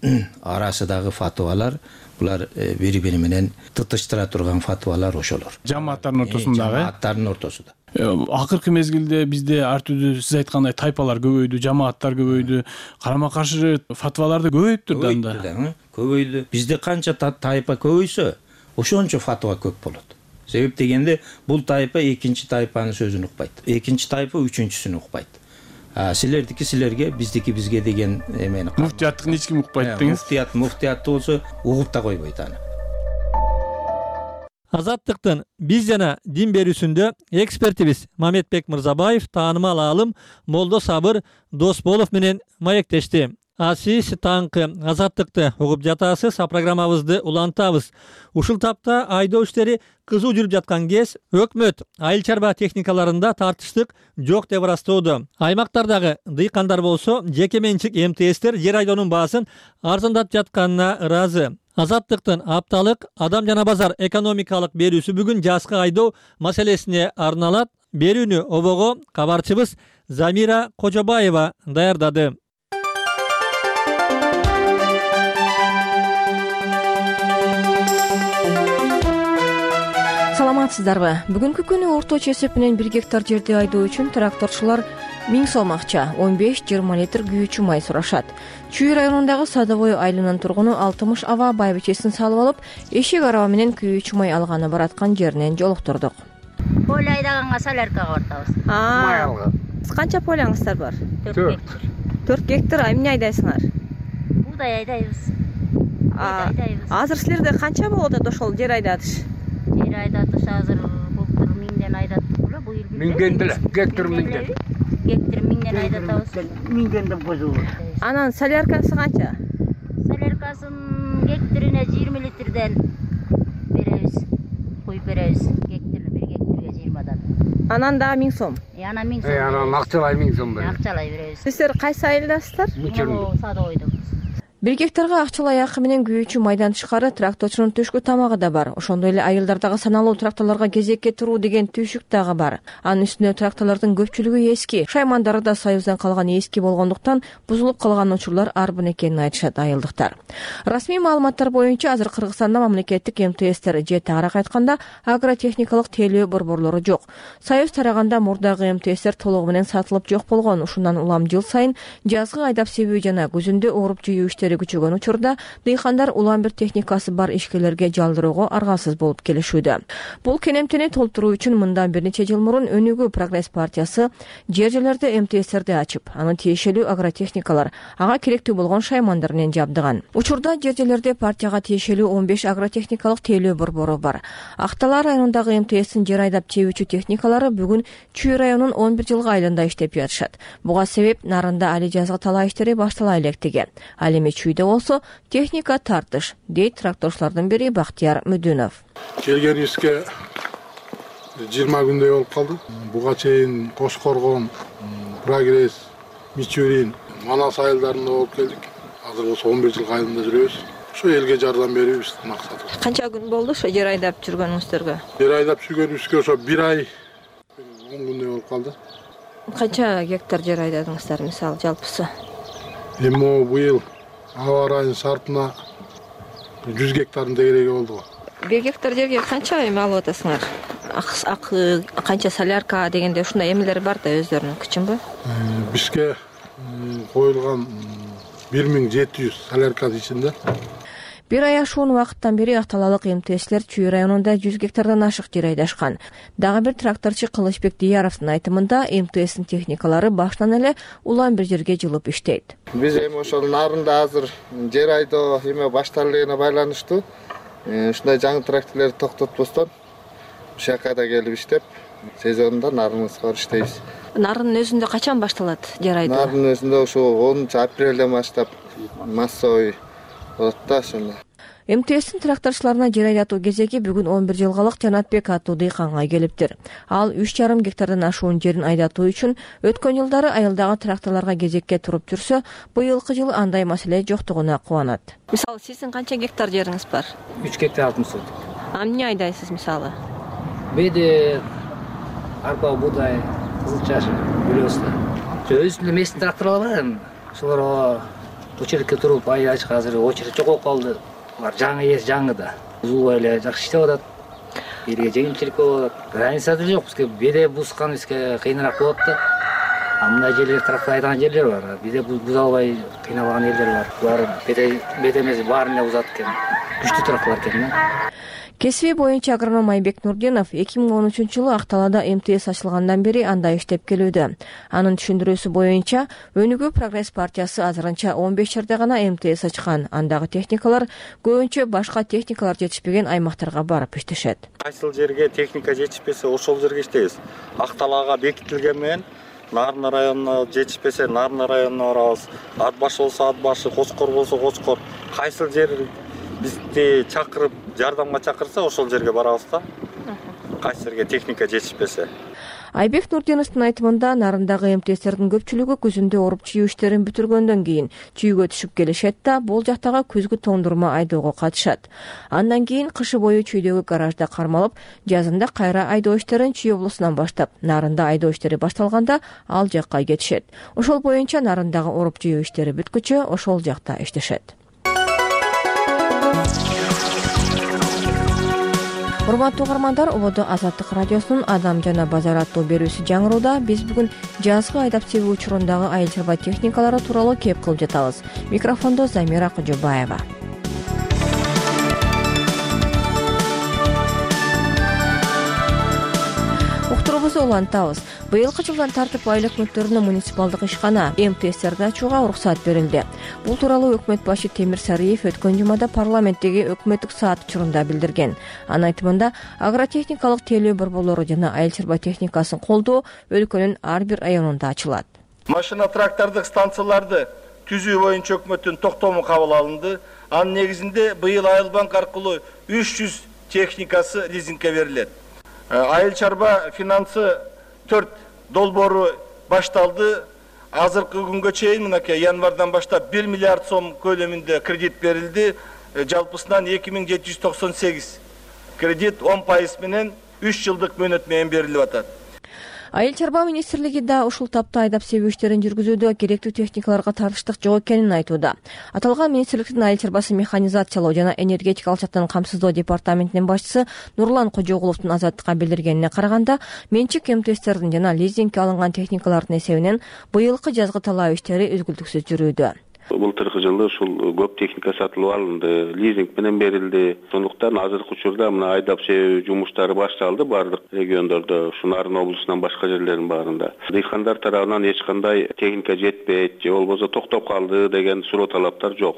арасындагы фатвалар булар бири-бири менен тытыштыра турган фатвалар ошолор. Жамааттардын ортосундагы? Жамааттардын ортосунда. Акыркы мезгилде бизде ар түрдүү сиз айткандай тайпалар көбөйдү, жамааттар көбөйдү, карама каршы фатвалар да көбөйүптүр да анда. Көбөйдү. Бизде канча тайпа көбөйсө, ошончо фатва көп болот. Себеп дегенде бул тайпа экинчи тайпанын сөзүн укпайт. Экинчи тайпа үчүнчүсүн укпайт. А силердики силерге, биздики бизге деген эмени. Муфтияттыкын эч ким укпайт деңиз. Муфтият муфтиятты болсо угуп да койбойт аны. Азаттыктын биз жана дин берүүсүндө экспертибиз Мамедбек Мырзабаев таанымал аалым Молдо Сабыр Досболов менен маектешти. А сиз таңкы азаттыкты угуп жатасыз, а программабызды улантабыз. Ушул тапта айдоо иштери кызуу жүрүп жаткан кез өкмөт айыл чарба техникаларында тартыштык жок деп ырастоодо. Аймактардагы дыйкандар болсо жеке менчик эм тэ эстер жер айдоонун баасын арзандатып жатканына ыраазы. Азаттыктын апталык адам жана базар экономикалык берүүсү бүгүн жазкы айдоо маселесине арналат. Берүүнү обого кабарчыбыз Замира Кожобаева даярдады. Саламатсыздарбы? Бүгүнкү күнү орточо эсеп менен бир гектар жерди айдоо үчүн тракторчулар миң сом акча, он беш жыйырма литр күйүүчү май сурашат. Чүй районундагы Садовой айылынын тургуну алтымыш аба байбичесин салып алып, эшек араба менен күйүүчү май алганы бараткан жеринен жолуктурдук. Поле айдаганга соляркага бартабыз. Май алган. Канча полеңиздер бар? төрт гектар. төрт гектар. Эмне айдайсыңар? Буудай айдайбыз. Азыр силерде канча болот ошол жер айдатыш? Жер айдатыш азыр былтыр миңден айдаттык беле, бул эл миңден деле, гектар миңден. Гектар миңден айдатабыз. Миңден бузуу. Анан соляркасы канча? Соляркасын гектарине жыйырма литрден беребиз. Куюп беребиз. Гектар бир гектарга жыйырмадан. Анан да миң сом. Э, анан миң сом. Э, анан акчалай миң сом беребиз. Акчалай беребиз. Сиздер кайсы айылдасыздар? Садовойдобуз. бир гектарга акчалай акы менен күйүүчү майдан тышкары тракторчунун түшкү тамагы да бар. Ошондой эле айылдардагы саналуу тракторлорго кезекке туруу деген түйшүк дагы бар. Анын үстүнө тракторлордун көпчүлүгү эски, шаймандары да Союздан калган эски болгондуктан бузулуп калган учурлар арбын экенин айтышат айылдыктар. Расмий маалыматтар боюнча азыр Кыргызстанда мамлекеттик эм тэ эстер же тагыраак айтканда агротехникалык тейлөө борборлору жок. Союз тараганда мурдагы эм тэ эстер толугу менен сатылып жок болгон. Ушундан улам жыл сайын жазгы айдап себүү жана күзүндө ооруп жыйуу иштери күчөгөн учурда дыйкандар улам бир техникасы бар ишкерлерге жалдыроого аргасыз болуп келишүүдө. Бул кенемтени толтуруу үчүн мындан бир нече жыл мурун Өнүгүү Прогресс партиясы жер жерлерде эм тэ эстерди ачып, анын тиешелүү агротехникалар, ага керектүү болгон шаймандар менен жабдыган. Учурда жер жерлерде партияга тиешелүү он беш агротехникалык тейлөө борбору бар. Актала районундагы эм тэ эстин жер айдап чебүүчү техникалары бүгүн Чүй районунун он бир жылгы айылында иштеп жатышат. Буга себеп нарында али жазгы талаа иштери баштала электиги. Ал эми Чүйдө болсо техника тартыш, дейт тракторчулардын бири Бактияр Мүдүнов. Келгенибизге жыйырма күндөй болуп калды. Буга чейин Кош Коргон, Прогресс, Мичурин, Манас айылдарында болуп келдик. Азыр болсо он бир жылгы айылында жүрөбүз. Ошо элге жардам берүү биздин максатыбыз. Канча күн болду ошо жер айдап жүргөнүңүздөргө? Жер айдап жүргөнүбүзгө ошо бир ай он күндөй болуп калды. Канча гектар жер айдадыңыздар мисалы жалпысы? Эми быйыл аба ырайынын шартына жүз гектардын тегереги болду го. бир гектар жерге канча эме алып атасыңар? Акы канча солярка дегенде ушундай эмелер бар да өздөрүнүн күчүнбү? Бизге коюлган бир миң жети жүз солярканын ичинде бир ай ашуун убакыттан бери Акталалык эм тэ эстер Чүй районунда жүз гектардан ашык жер айдашкан. Дагы бир тракторчу Кылычбек Дияровдун айтымында эм тэ эстин техникалары башынан эле улам бир жерге жылып иштейт. Биз эми ошол нарында азыр жер айдоо эме башталып элегине байланыштуу ушундай жаңы тракторлорду токтотпостон ушул жака да келип иштеп, сезонунда нарыбызга барып иштейбиз. Нардын өзүндө качан башталат жер айдоо? Нардын өзүндө ошо онунчу апрелден баштап массовый болот да ошондо. МТСтин тракторчуларына жер айдатуу кезеги бүгүн он бир жылгалык Жанатбек аттуу дыйканга келиптир. Ал үч жарым гектардан ашуун жерин айдатуу үчүн өткөн жылдары айылдагы тракторлорго кезекке туруп жүрсө, быйылкы жылы андай маселе жоктугуна кубанат. Мисалы, сиздин канча гектар жериңиз бар? үч гектар алтымыш соток. А эмне айдайсыз мисалы? Беде, арпа, буудай, кызыл чаш, билесиз. Өзүнүн местин тракторлор бар, ошолорго очередке туруп айдачка азыр очеред жок болуп калды. Алар жаңы ээс жаңы да. Узулбай эле жакшы иштеп атат. Элге жеңилчилик болуп атат. Граница да жок, бизге беде бускан бизге кыйыныраак болот да. А мындай жерлер трактор айдаган жерлер бар. Беде буза албай кыйналган элдер бар. Булар беде беде эмес баарын эле бузат экен. Күчтүү тракторлор экен да. Кесиби боюнча агроном Айбек Нурдинов эки миң он үчүнчү жылы Акталада МТС ачылгандан бери анда иштеп келүүдө. Анын түшүндүрүүсү боюнча Өнүгүү Прогресс партиясы азырынча он беш жерде гана МТС ачкан. Андагы техникалар көбүнчө башка техникалар жетишпеген аймактарга барып иштешет. Кайсыл жерге техника жетишпесе, ошол жерге иштейбиз. Акталага бекитилген менен Нарын районуна жетишпесе, Нарын районуна барабыз. Ат башы болсо ат башы, Кочкор болсо Кочкор. Кайсыл жер бизди чакырып, жардамга чакырса, ошол жерге барабыз да. Кайсы жерге техника жетишпесе. Айбек Нурдиновдун айтымында Нарындагы МТСтердин көпчүлүгү күзүндө оруп чүйүү иштерин бүтүргөндөн кийин чүйгө түшүп келишет да, бул жактагы күзгү тондурма айдоого катышат. Андан кийин кышы бою чүйдөгү гаражда кармалып, жазында кайра айдоо иштерин Чүй облусунан баштап, Нарында айдоо иштери башталганда ал жакка кетишет. Ошол боюнча Нарындагы оруп чүйүү иштери бүткүчө ошол жакта иштешет. Урматтуу угармандар, ободо Азаттык радиосунун Адам жана базар аттуу берүүсү жаңырууда биз бүгүн жазгы айдап себүү учурундагы айыл чарба техникалары тууралуу кеп кылып жатабыз. Микрофондо Замира Кожобаева. Уктуруубузду улантабыз. Быйылкы жылдан тартып айыл өкмөттөрүнө муниципалдык ишкана МТСтерди ачууга уруксат берилди. Бул тууралуу өкмөт башы Темир Сариев өткөн жумада парламенттеги өкмөттүк саат учурунда билдирген. Анын айтымында агротехникалык тейлөө борборлору жана айыл чарба техникасын колдоо өлкөнүн ар бир районунда ачылат. Машина трактордук станцияларды түзүү боюнча өкмөттүн токтому кабыл алынды. Анын негизинде быйыл Айыл банк аркылуу үч жүз техникасы лизингке берилет. Айыл чарба финансы төрт долбоору башталды. Азыркы күнгө чейин мынакей январдан баштап бир миллиард сом көлөмүндө кредит берилди. Жалпысынан эки миң жети жүз токсон сегиз кредит он пайыз менен үч жылдык мөөнөт менен берилип атат. Айыл чарба министрлиги да ушул тапта айдап себүү иштерин жүргүзүүдө керектүү техникаларга тартыштык жок экенин айтууда. Аталган министрликтин айыл чарбасы механизациялоо жана энергетикалык жактан камсыздоо департаментинин башчысы Нурлан Кожогуловдун Азаттыкка билдиргенине караганда, менчик МТСтердин жана лизингке алынган техникалардын эсебинен быйылкы жазгы талаа иштери үзгүлтүксүз жүрүүдө. Былтыркы жылы ушул көп техника сатылып алынды, лизинг менен берилди. Сондуктан азыркы учурда мына айдап себүү жумуштары башталды бардык региондордо, ушу Нарын облусунан башка жерлердин баарында. Дыйкандар тарабынан эч кандай техника жетпейт, же болбосо токтоп калды деген суроо талаптар жок.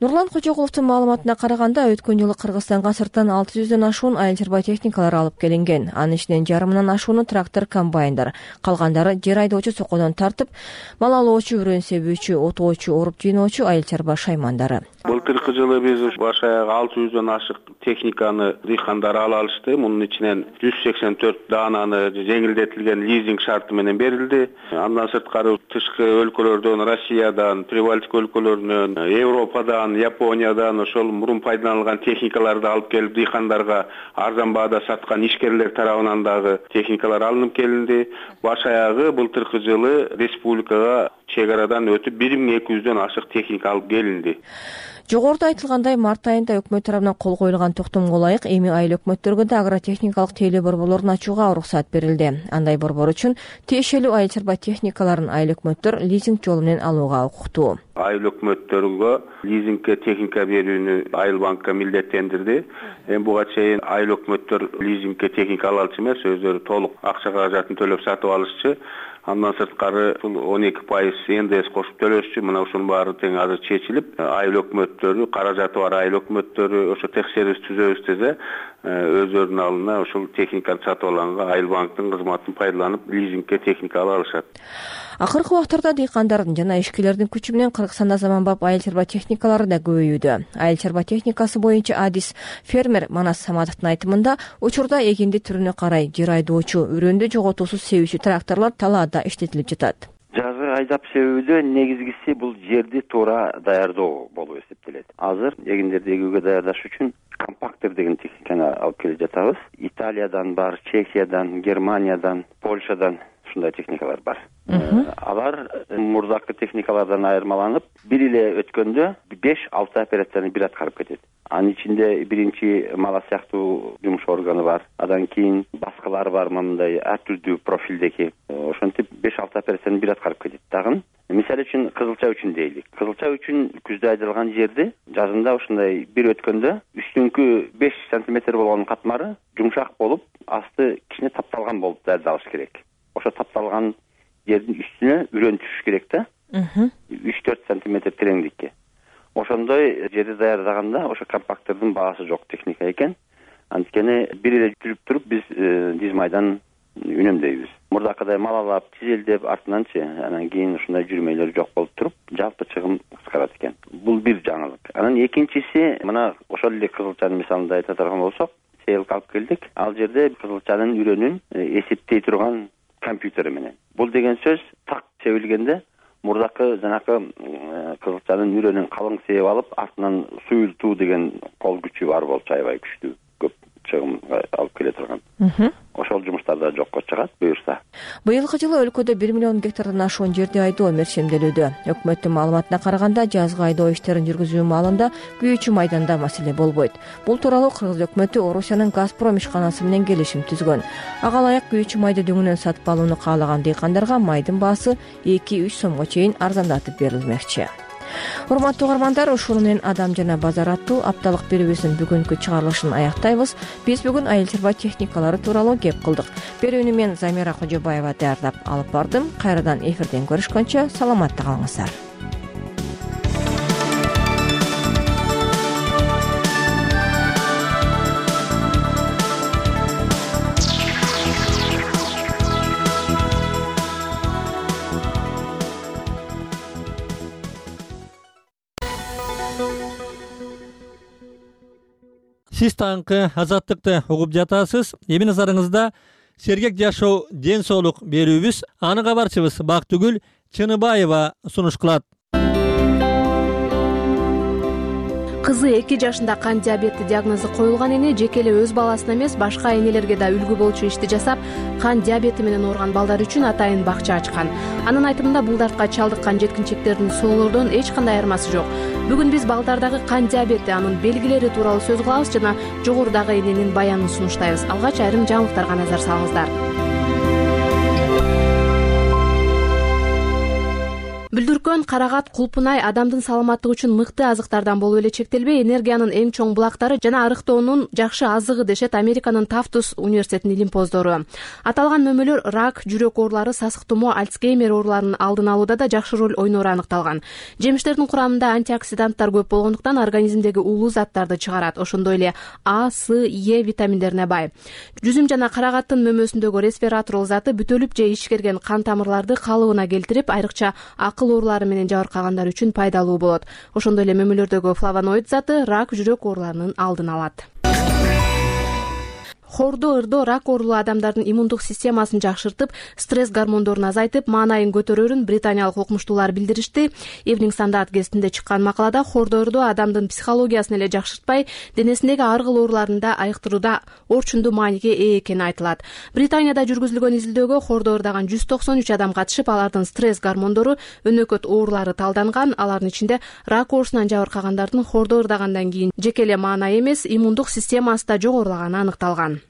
Нурлан Кожогуловдун маалыматына караганда, өткөн жылы Кыргызстанга сырттан алты жүздөн ашуун айыл чарба техникалары алып келинген. Анын ичинен жарымынан ашууну трактор, комбайндар, калгандары жер айдоочу сокодон тартып, мал алоочу, үрөн себүүчү, отоочу, оруп жыйноочу айыл чарба шаймандары. Былтыркы жылы биз баш аягы алты жүздөн ашык техниканы дыйкандар ала алышты. Мунун ичинен жүз сексен төрт даананы жеңилдетилген лизинг шарты менен берилди. Андан сырткары тышкы өлкөлөрдөн, Россиядан, Прибалтика өлкөлөрүнөн, Европадан, Япониядан ошол мурун пайдаланылган техникаларды алып келип дыйкандарга арзан баада саткан ишкерлер тарабынан дагы техникалар алынып келинди. Баш аягы былтыркы жылы республикага чек арадан өтүп бир миң эки жүздөн ашык техника алып келинди. Жогоруда айтылгандай, март айында өкмөт тарабынан кол коюлган токтомго ылайык эми айыл өкмөттөргө да агротехникалык тейлөө борборлорун ачууга уруксат берилди. Андай борбор үчүн тиешелүү айыл чарба техникаларын айыл өкмөттөр лизинг жолу менен алууга укуктуу. Айыл өкмөттөргө лизингке техника берүүнү Айыл банкка милдеттендирди. Эми буга чейин айыл өкмөттөр лизингке техника ала алчу эмес, өздөрү толук акча каражатын төлөп сатып алышчы. Андан сырткары ушул он эки пайыз эн дэ эс кошуп төлөшчү. Мына ушунун баары тең азыр чечилип, айыл өкмөттөрү, каражаты бар айыл өкмөттөрү ошо текшерүүбүз түзөбүз десе, өздөрүнүн алдына ушул техниканы сатып алганга айыл банктын кызматын пайдаланып, лизингке техника ала алышат. Акыркы убактарда дыйкандардын жана ишкерлердин күчү менен Кыргызстанда заманбап айыл чарба техникалары да көбөйүүдө. Айыл чарба техникасы боюнча адис фермер Манас Саматовдун айтымында, учурда эгинди түрүнө карай жер айдоочу, үрөндү жоготуусуз себүүчү тракторлор талаада иштетилип жатат. Жазгы айдап себүүдө негизгиси бул жерди туура даярдоо болуп эсептелет. Азыр эгиндерди эгүүгө даярдаш үчүн компактер деген техниканы алып келе жатабыз. Италиядан бар, Чехиядан, Германиядан, Польшадан ушундай техникалар бар. Алар мурдакы техникалардан айырмаланып, бир эле өткөндө беш алты операцияны бир аткарып кетет. Анын ичинде биринчи мала сыяктуу жумуш органы бар. Андан кийин баскылар бар, мындай ар түрдүү профилдеги. Ошентип беш алты операцияны бир аткарып кетет. Дагы мисалы үчүн кызылча үчүн дейлик. Кызылча үчүн күздө айдалган жерди жазында ушундай бир өткөндө үстүңкү беш сантиметр болгон катмары жумшак болуп, асты кичине тапталган болуп даярдалыш керек. Ошо тапталган жердин үстүнө үрөн түшүш керек да. үч төрт сантиметр тереңдикке. Ошондой жерди даярдаганда ошо компактердин баасы жок техника экен. Анткени бир эле жүрүп туруп биз диз майдан үнөмдөйбүз. Мурдакыдай малалап, тизелдеп, артынанчы анан кийин ушундай жүрмөйлөр жок болуп туруп, жалпы чыгым кыскарат экен. Бул бир жаңылык. Анан экинчиси, мына ошол эле кызылчанын мисалында айта турган болсок, сейилге алып келдик. Ал жерде кызылчанын үрөнүн эсептей турган компьютери менен. Бул деген сөз так себилгенде мурдакы жанакы кызылчанын үрөнүн калың сээп алып, артынан суюлтуу деген кол күчү бар болчу, аябай күчтүү, көп чыгым алып келе турган. Ошол жумуштар да жокко чыгат буюрса. Быйылкы жылы өлкөдө бир миллион гектардан ашуун жерди айдоо мерчемделүүдө. Өкмөттүн маалыматына караганда, жазгы айдоо иштерин жүргүзүү маалында күйүүчү майданда маселе болбойт. Бул тууралуу Кыргыз өкмөтү Орусиянын Газпром ишканасы менен келишим түзгөн. Ага ылайык күйүүчү майды дөңүнөн сатып алууну каалаган дыйкандарга майдын баасы эки үч сомго чейин арзандатып берилмекчи. Урматтуу угармандар, ушуну менен Адам жана базар аттуу апталык берүүбүздүн бүгүнкү чыгарылышын аяктайбыз. Биз бүгүн айыл чарба техникалары тууралуу кеп кылдык. Берүүнү мен Замира Кожобаева даярдап алып бардым. Кайрадан эфирден көрүшкөнчө саламатта калыңыздар. Сиз таңкы азаттыкты угуп жатасыз. Эми назарыңызда сергек жашоо, ден соолук берүүбүз. Аны кабарчыбыз Бактыгүл Чыныбаева сунуш кылат. Кызы эки жашында кант диабети диагнозу коюлган эне жеке эле өз баласына эмес, башка энелерге да үлгү болчу ишти жасап, кант диабети менен ооруган балдар үчүн атайын бакча ачкан. Анын айтымында бул дартка чалдыккан жеткинчектердин соолордон эч кандай айырмасы жок. Бүгүн биз балдардагы кант диабети, анын белгилери тууралуу сөз кылабыз жана жогорудагы эненин баянын сунуштайбыз. Алгач айрым жаңылыктарга назар салыңыздар. Бүлдүркөн, карагат, кулпунай адамдын саламаттыгы үчүн мыкты азыктардан болуп эле чектелбей, энергиянын эң чоң булактары жана арыктоонун жакшы азыгы дешет Американын Тафтус университетинин илимпоздору. Аталган мөмөлөр рак, жүрөк оорулары, сасык тумоо, Альцгеймер ооруларынын алдын алууда да жакшы роль ойноору аныкталган. Жемиштердин курамында антиоксиданттар көп болгондуктан организмдеги уулуу заттарды чыгарат. Ошондой эле А, С, Е витаминдерине бай. Жүзүм жана карагаттын мөмөсүндөгү ресвератрол заты бүтөлүп же ишкерген кан тамырларды калыбына келтирип, айрыкча акыл оорулары менен жабыркагандар үчүн пайдалуу болот. Ошондой эле мөмөлөрдөгү флавоноид заты рак, жүрөк ооруларынын алдын алат. Хордо ырдоо рак оорулуу адамдардын иммундук системасын жакшыртып, стресс гормондорун азайтып, маанайын көтөрөрүн британиялык окумуштуулар билдиришти. Evening Standard гезитинде чыккан макалада хордо ырдоо адамдын психологиясын эле жакшыртпай, денесиндеги ар кыл ооруларында айыктырууда орчундуу мааниге ээ экени айтылат. Британияда жүргүзүлгөн изилдөөгө хордо ырдаган жүз токсон үч адам катышып, алардын стресс гормондору, өнөкөт оорулары талданган. Алардын ичинде рак оорусунан жабыркагандардын хордо ырдагандан кийин жеке эле маанай эмес, иммундук системасы да жогорулаганы аныкталган.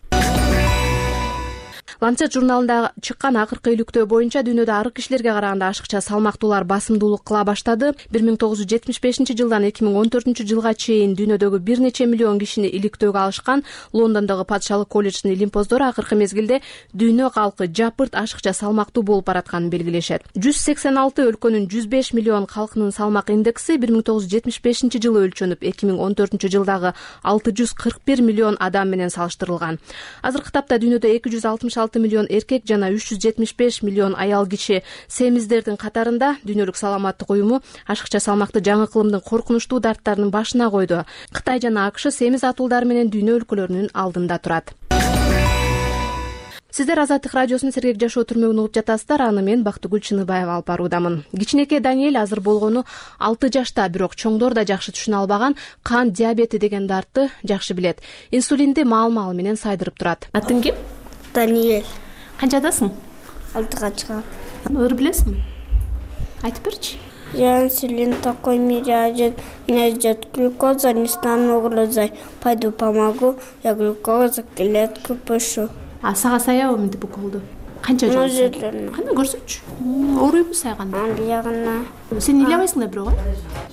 Lancet журналында чыккан акыркы иликтөө боюнча дүйнөдө арык кишилерге караганда ашыкча салмактуулар басымдуулук кыла баштады. бир миң тогуз жүз жетимиш бешинчи жылдан эки миң он төртүнчү жылга чейин дүйнөдөгү бир нече миллион кишини иликтөөгө алышкан Лондондогу Патшалык колледждин илимпоздору акыркы мезгилде дүйнө калкы жапырт ашыкча салмактуу болуп баратканын белгилешет. жүз сексен алты өлкөнүн жүз беш миллион калкынын салмак индекси бир миң тогуз жүз жетимиш бешинчи жылы өлчөнүп, эки миң он төртүнчү жылдагы алты жүз кырк бир миллион адам менен салыштырылган. Азыркы тапта дүйнөдө эки жүз алтымыш алты миллион эркек жана үч жүз жетимиш беш миллион аял киши семиздердин катарында. Дүйнөлүк саламаттык уюму ашыкча салмакты жаңы кылымдын коркунучтуу дарттарынын башына койду. Кытай жана АКШ семиз атуулдар менен дүйнө өлкөлөрүнүн алдында турат. Сиздер Азаттык радиосунун сергек жашоо түрмөгүн угуп жатасыздар. Аны мен Бактыгүл Чыныбаева алып баруудамын. Кичинекей Даниэль азыр болгону алты жашта, бирок чоңдор да жакшы түшүнө албаган кан диабети деген дартты жакшы билет. Инсулинди маал-маал менен сайдырып турат. Атың ким? Даниэль. Канчадасың? Алтыга чыгам. Ыр билесиңби? Айтып берчи. Я инсулин такой мере идет. Меня идет глюкоза, не стану угрозой. Пойду помогу, я глюкозу клетку пишу. А сага саябы мынтип уколду? Канча жыл? Кандай көрсөтчү? Ооруйбу сайганда? Биягына. Сен ыйлабайсың да бирок,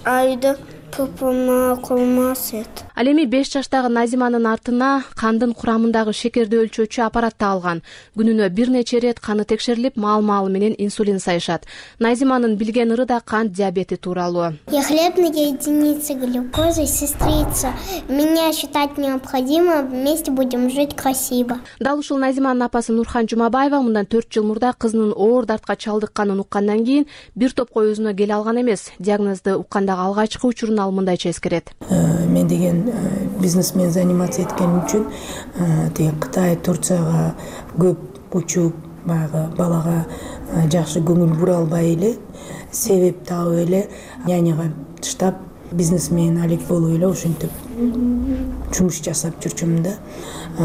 а? Айда тупума колмас эт. Ал эми беш жаштагы Назиманын артына кандын курамындагы шекерди өлчөөчү аппаратты алган. Күнүнө бир нече ирет каны текшерилип, маал-маал менен инсулин сайышат. Назиманын билген ыры да кант диабети тууралуу. Я хлебная единица глюкозы, сестрица. Меня считать необходимо, вместе будем жить красиво. Дал ушул Назиманын апасы Нурхан Жумабаева мындан төрт жыл мурда кызынын оор дартка чалдыкканын уккандан кийин бир топко өзүнө келе алган эмес. Диагнозду уккандагы алгачкы учурун ал мындайча эскерет. Мен деген бизнесмен заниматься эткеним үчүн тиги Кытай, Турцияга көп учуп, баягы балага жакшы көңүл бура албай эле, себеп таап эле няняга таштап бизнесмен алек болуп эле ушинтип жумуш жасап жүрчүмүн да.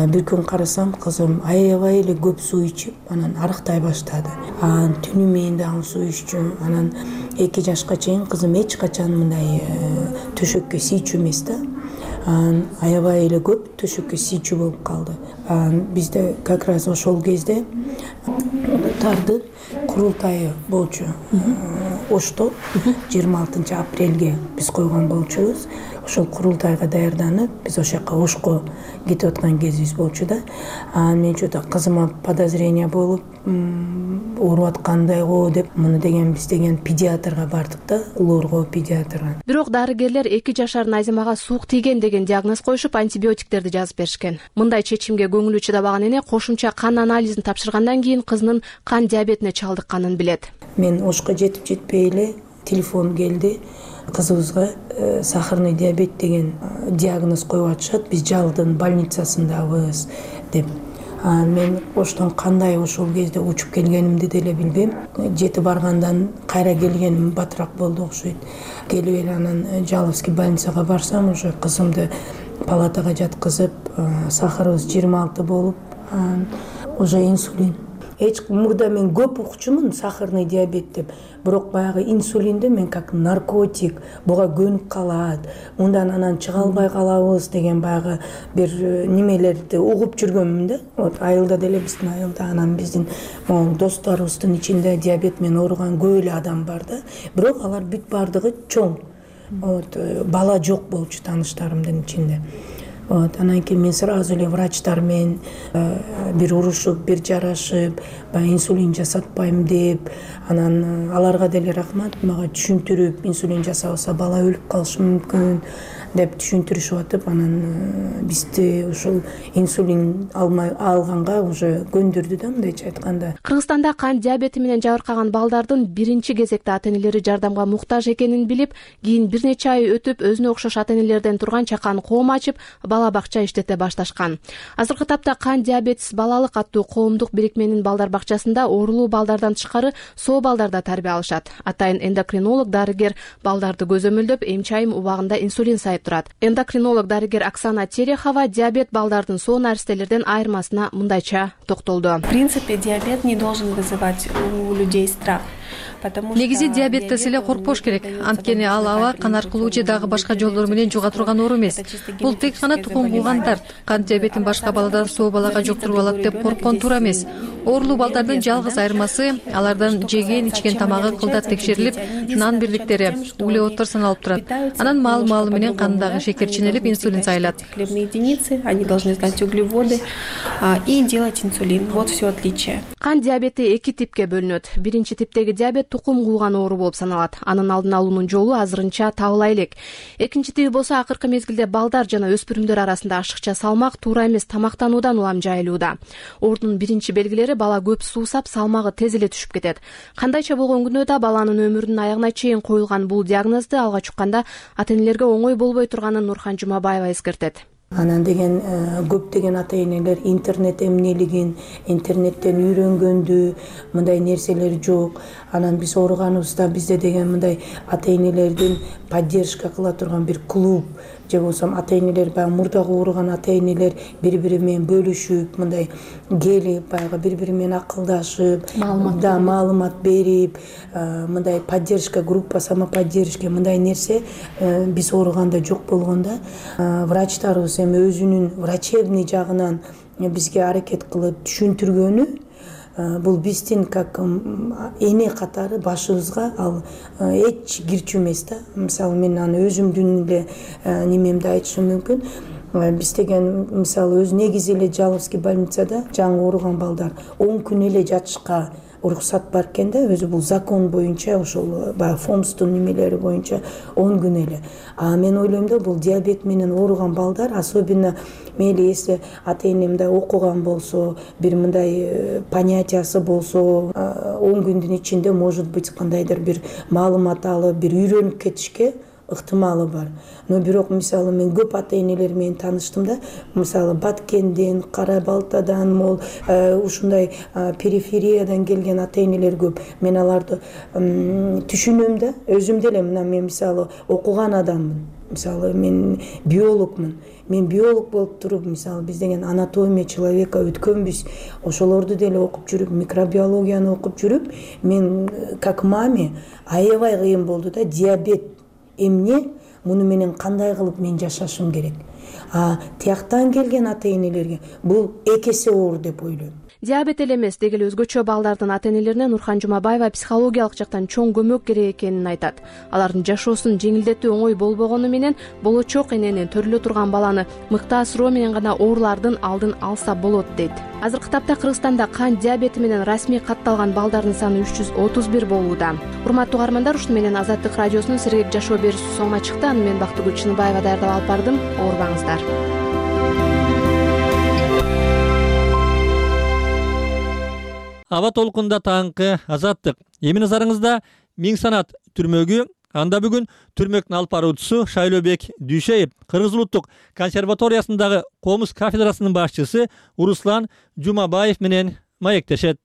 Бир күн карасам, кызым аябай эле көп суу ичип, анан арыктай баштады. Анан түнү менен дагы суу иччү. Анан эки жашка чейин кызым эч качан мындай төшөккө тийчү эмес да. Анан аябай эле көп төшөккө тийчү болуп калды. Анан бизде как раз ошол кезде тардын курултайы болчу. Ошто жыйырма алтынчы апрелге биз койгон болчубуз. Ошол курултайга даярданып, биз ошол жака Ошко кетип аткан кезибиз болчу да. Анан мен чөтө кызыма подозрение болуп, ооруп аткандай го деп, муну деген биз деген педиатрга бардык да, Лоорго педиатрга. Бирок дарыгерлер эки жашар Назимага суук тийген деген диагноз коюшуп, антибиотиктерди жазып беришкен. Мындай чечимге көңүлү чыдабаган эне кошумча кан анализин тапшыргандан кийин кызынын кан диабетине чалдыкканын билет. Мен Ошко жетип жетпей эле телефон келди. Кызыбызга сахарный диабет деген диагноз коюп атышат. Биз Жалдын больницасындабыз деп. Анан мен Оштон кандай ошол кезде учуп келгенимди деле билбейм. Жети баргандан кайра келгеним батыраак болду окшойт. Келип эле анан Жаловский больницага барсам, уже кызымды палатага жаткызып, сахарыбыз жыйырма алты болуп, уже инсулин. Эч мурда мен көп укчумун сахарный диабет деп, бирок баягы инсулинди мен как наркотик, буга көнүп калат, ундан анан чыга албай калабыз деген баягы бир немелерди угуп жүргөнмүн да. Вот айылда деле, биздин айылда, анан биздин могу досторубуздун ичинде диабет менен ооруган көп эле адам бар да. Бирок алар бүт бардыгы чоң. Вот бала жок болчу тааныштарымдын ичинде. Вот, анан кийин мен сразу эле врачтар менен бир урушуп, бир жарашып, баягы инсулин жасатпайм деп, анан аларга деле рахмат, мага түшүндүрүп, инсулин жасабаса бала өлүп калышы мүмкүн деп түшүндүрүшүп атып, анан бизди ушул инсулин алмай алганга уже көндүрдү да, мындайча айтканда. Кыргызстанда кан диабети менен жабыркаган балдардын биринчи кезекте ата-энелери жардамга муктаж экенин билип, кийин бир нече ай өтүп, өзүнө окшош ата-энелерден турган чакан коом ачып, бала бакча иштете башташкан. Азыркы тапта кан диабетис балалык аттуу коомдук бирикменин балдар бакчасында оорулуу балдардан тышкары соо балдар да тарбия алышат. Атайын эндокринолог дарыгер балдарды көзөмөлдөп, эмчайым убагында инсулин сайып турат. Эндокринолог дарыгер Оксана Терехова диабет балдардын соо наристелерден айырмасына мындайча токтолду. В принципе, диабет не должен вызывать у людей страх. негизи диабеттес эле коркпош керек, анткени ал аба кан аркылуу же дагы башка жолдор менен жуга турган оору эмес. Бул тек гана тукум кууган дарт. Кант диабетин башка баладан соо балага жуктуруп алат деп корккон туура эмес. Оорулуу балдардын жалгыз айырмасы алардын жеген ичкен тамагы кылдат текшерилип, нан бирликтери, углеводдор саналып турат. Анан маал маалы менен кандагы шекер ченелип, инсулин сайылат. Хлебные единицы, они должны знать углеводы и делать инсулин. Вот все отличие. Кан диабети эки типке бөлүнөт. Биринчи типтеги диабет тукум кууган оору болуп саналат. Анын алдын алуунун жолу азырынча табыла элек. Экинчи тиби болсо акыркы мезгилде балдар жана өспүрүмдөр арасында ашыкча салмак, туура эмес тамактануудан улам жайылууда. Оорунун биринчи белгилери бала көп суусап, салмагы тез эле түшүп кетет. Кандайча болгон күнөөдө баланын өмүрүнүн аягына чейин коюлган бул диагнозду алгач укканда ата-энелерге оңой болбой турганын Нурхан Жумабаева эскертет. Анан деген көптөгөн ата-энелер интернет эмнелигин, интернеттен үйрөнгөндү, мындай нерселер жок. Анан биз ооруганыбызда бизде деген мындай ата-энелердин поддержка кыла турган бир клуб же болсо ата-энелер баягы мурдагы ооруган ата-энелер бири-бири менен бөлүшүп, мындай келип, баягы бири-бири менен акылдашып, да маалымат берип, мындай поддержка группа, самоподдержка мындай нерсе биз ооруганда жок болгондо, врачтарыбыз эми өзүнүн врачебный жагынан бизге аракет кылып түшүндүргөнү, бул биздин как эне катары башыбызга ал эч кирчү эмес да. Мисалы мен аны өзүмдүн эле немемди айтышым мүмкүн. Биз деген мисалы өз негизи эле Жаловский больницада жаңы ооруган балдар он күн эле жатышка уруксат бар экен да, өзү бул закон боюнча, ошол баягы фомстун немелери боюнча он күн эле. А мен ойлойм да, бул диабет менен ооруган балдар, особенно мейли если ата-энемде окуган болсо, бир мындай понятиясы болсо, он күндүн ичинде может быть кандайдыр бир маалымат алып, бир үйрөнүп кетишке ыктымалы бар. Но бирок мисалы мен көп ата-энелер менен таныштым да, мисалы Баткенден, Кара Балтадан, мол ушундай перифериядан келген ата-энелер көп. Мен аларды түшүнөм да, өзүм деле мына мен мисалы окуган адаммын. Мисалы мен биологмун. Мен биолог болуп туруп, мисалы биз деген анатомия человека өткөнбүз. Ошолорду деле окуп жүрүп, микробиологияны окуп жүрүп, мен как маме аябай кыйын болду да, диабет эмне, муну менен кандай кылып мен жашашым керек. А тияктан келген ата-энелерге бул эки эсе оор деп ойлойм. Диабет эле эмес, дегеле өзгөчө балдардын ата-энелерине Нурхан Жумабаева психологиялык жактан чоң көмөк керек экенин айтат. Алардын жашоосун жеңилдетүү оңой болбогону менен болочок эненин төрөлө турган баланы мыкты асыроо менен гана оорулардын алдын алса болот дейт. Азыркы тапта Кыргызстанда кан диабети менен расмий катталган балдардын саны үч жүз отуз бир болууда. Урматтуу угармандар, ушуну менен Азаттык радиосунун сергек жашоо берүүсү соңуна чыкты. Аны мен Бактыгүл Чыныбаева даярдап алып бардым. Оорубаңыздар. Аба толкунда таңкы Азаттык. Эми назарыңызда Миң Санат түрмөгү. Анда бүгүн түрмөктүн алып баруучусу Шайлообек Дүйшеев Кыргыз улуттук консерваториясындагы комуз кафедрасынын башчысы Руслан Жумабаев менен маектешет.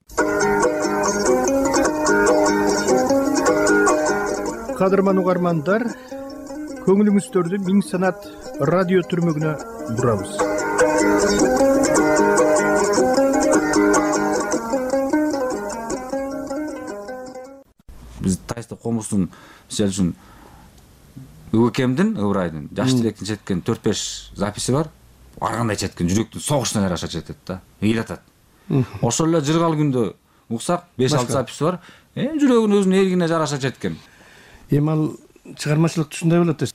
Кадырман угармандар, көңүлүңүздөрдү Миң Санат радио түрмөгүнө бурабыз. Биз Тайста комуздун мисалы үчүн УКМдин, Ыбырайдын жаш тилектин четкен төрт беш записи бар. Ар кандай четкен жүрөктүн согушуна жараша четет да, ыйлатат. Ошол эле жыргал күндө уксак беш алты записи бар. Эми жүрөгүнүн өзүнүн эргине жараша четкен. Эми ал чыгармачылык ушундай болот да.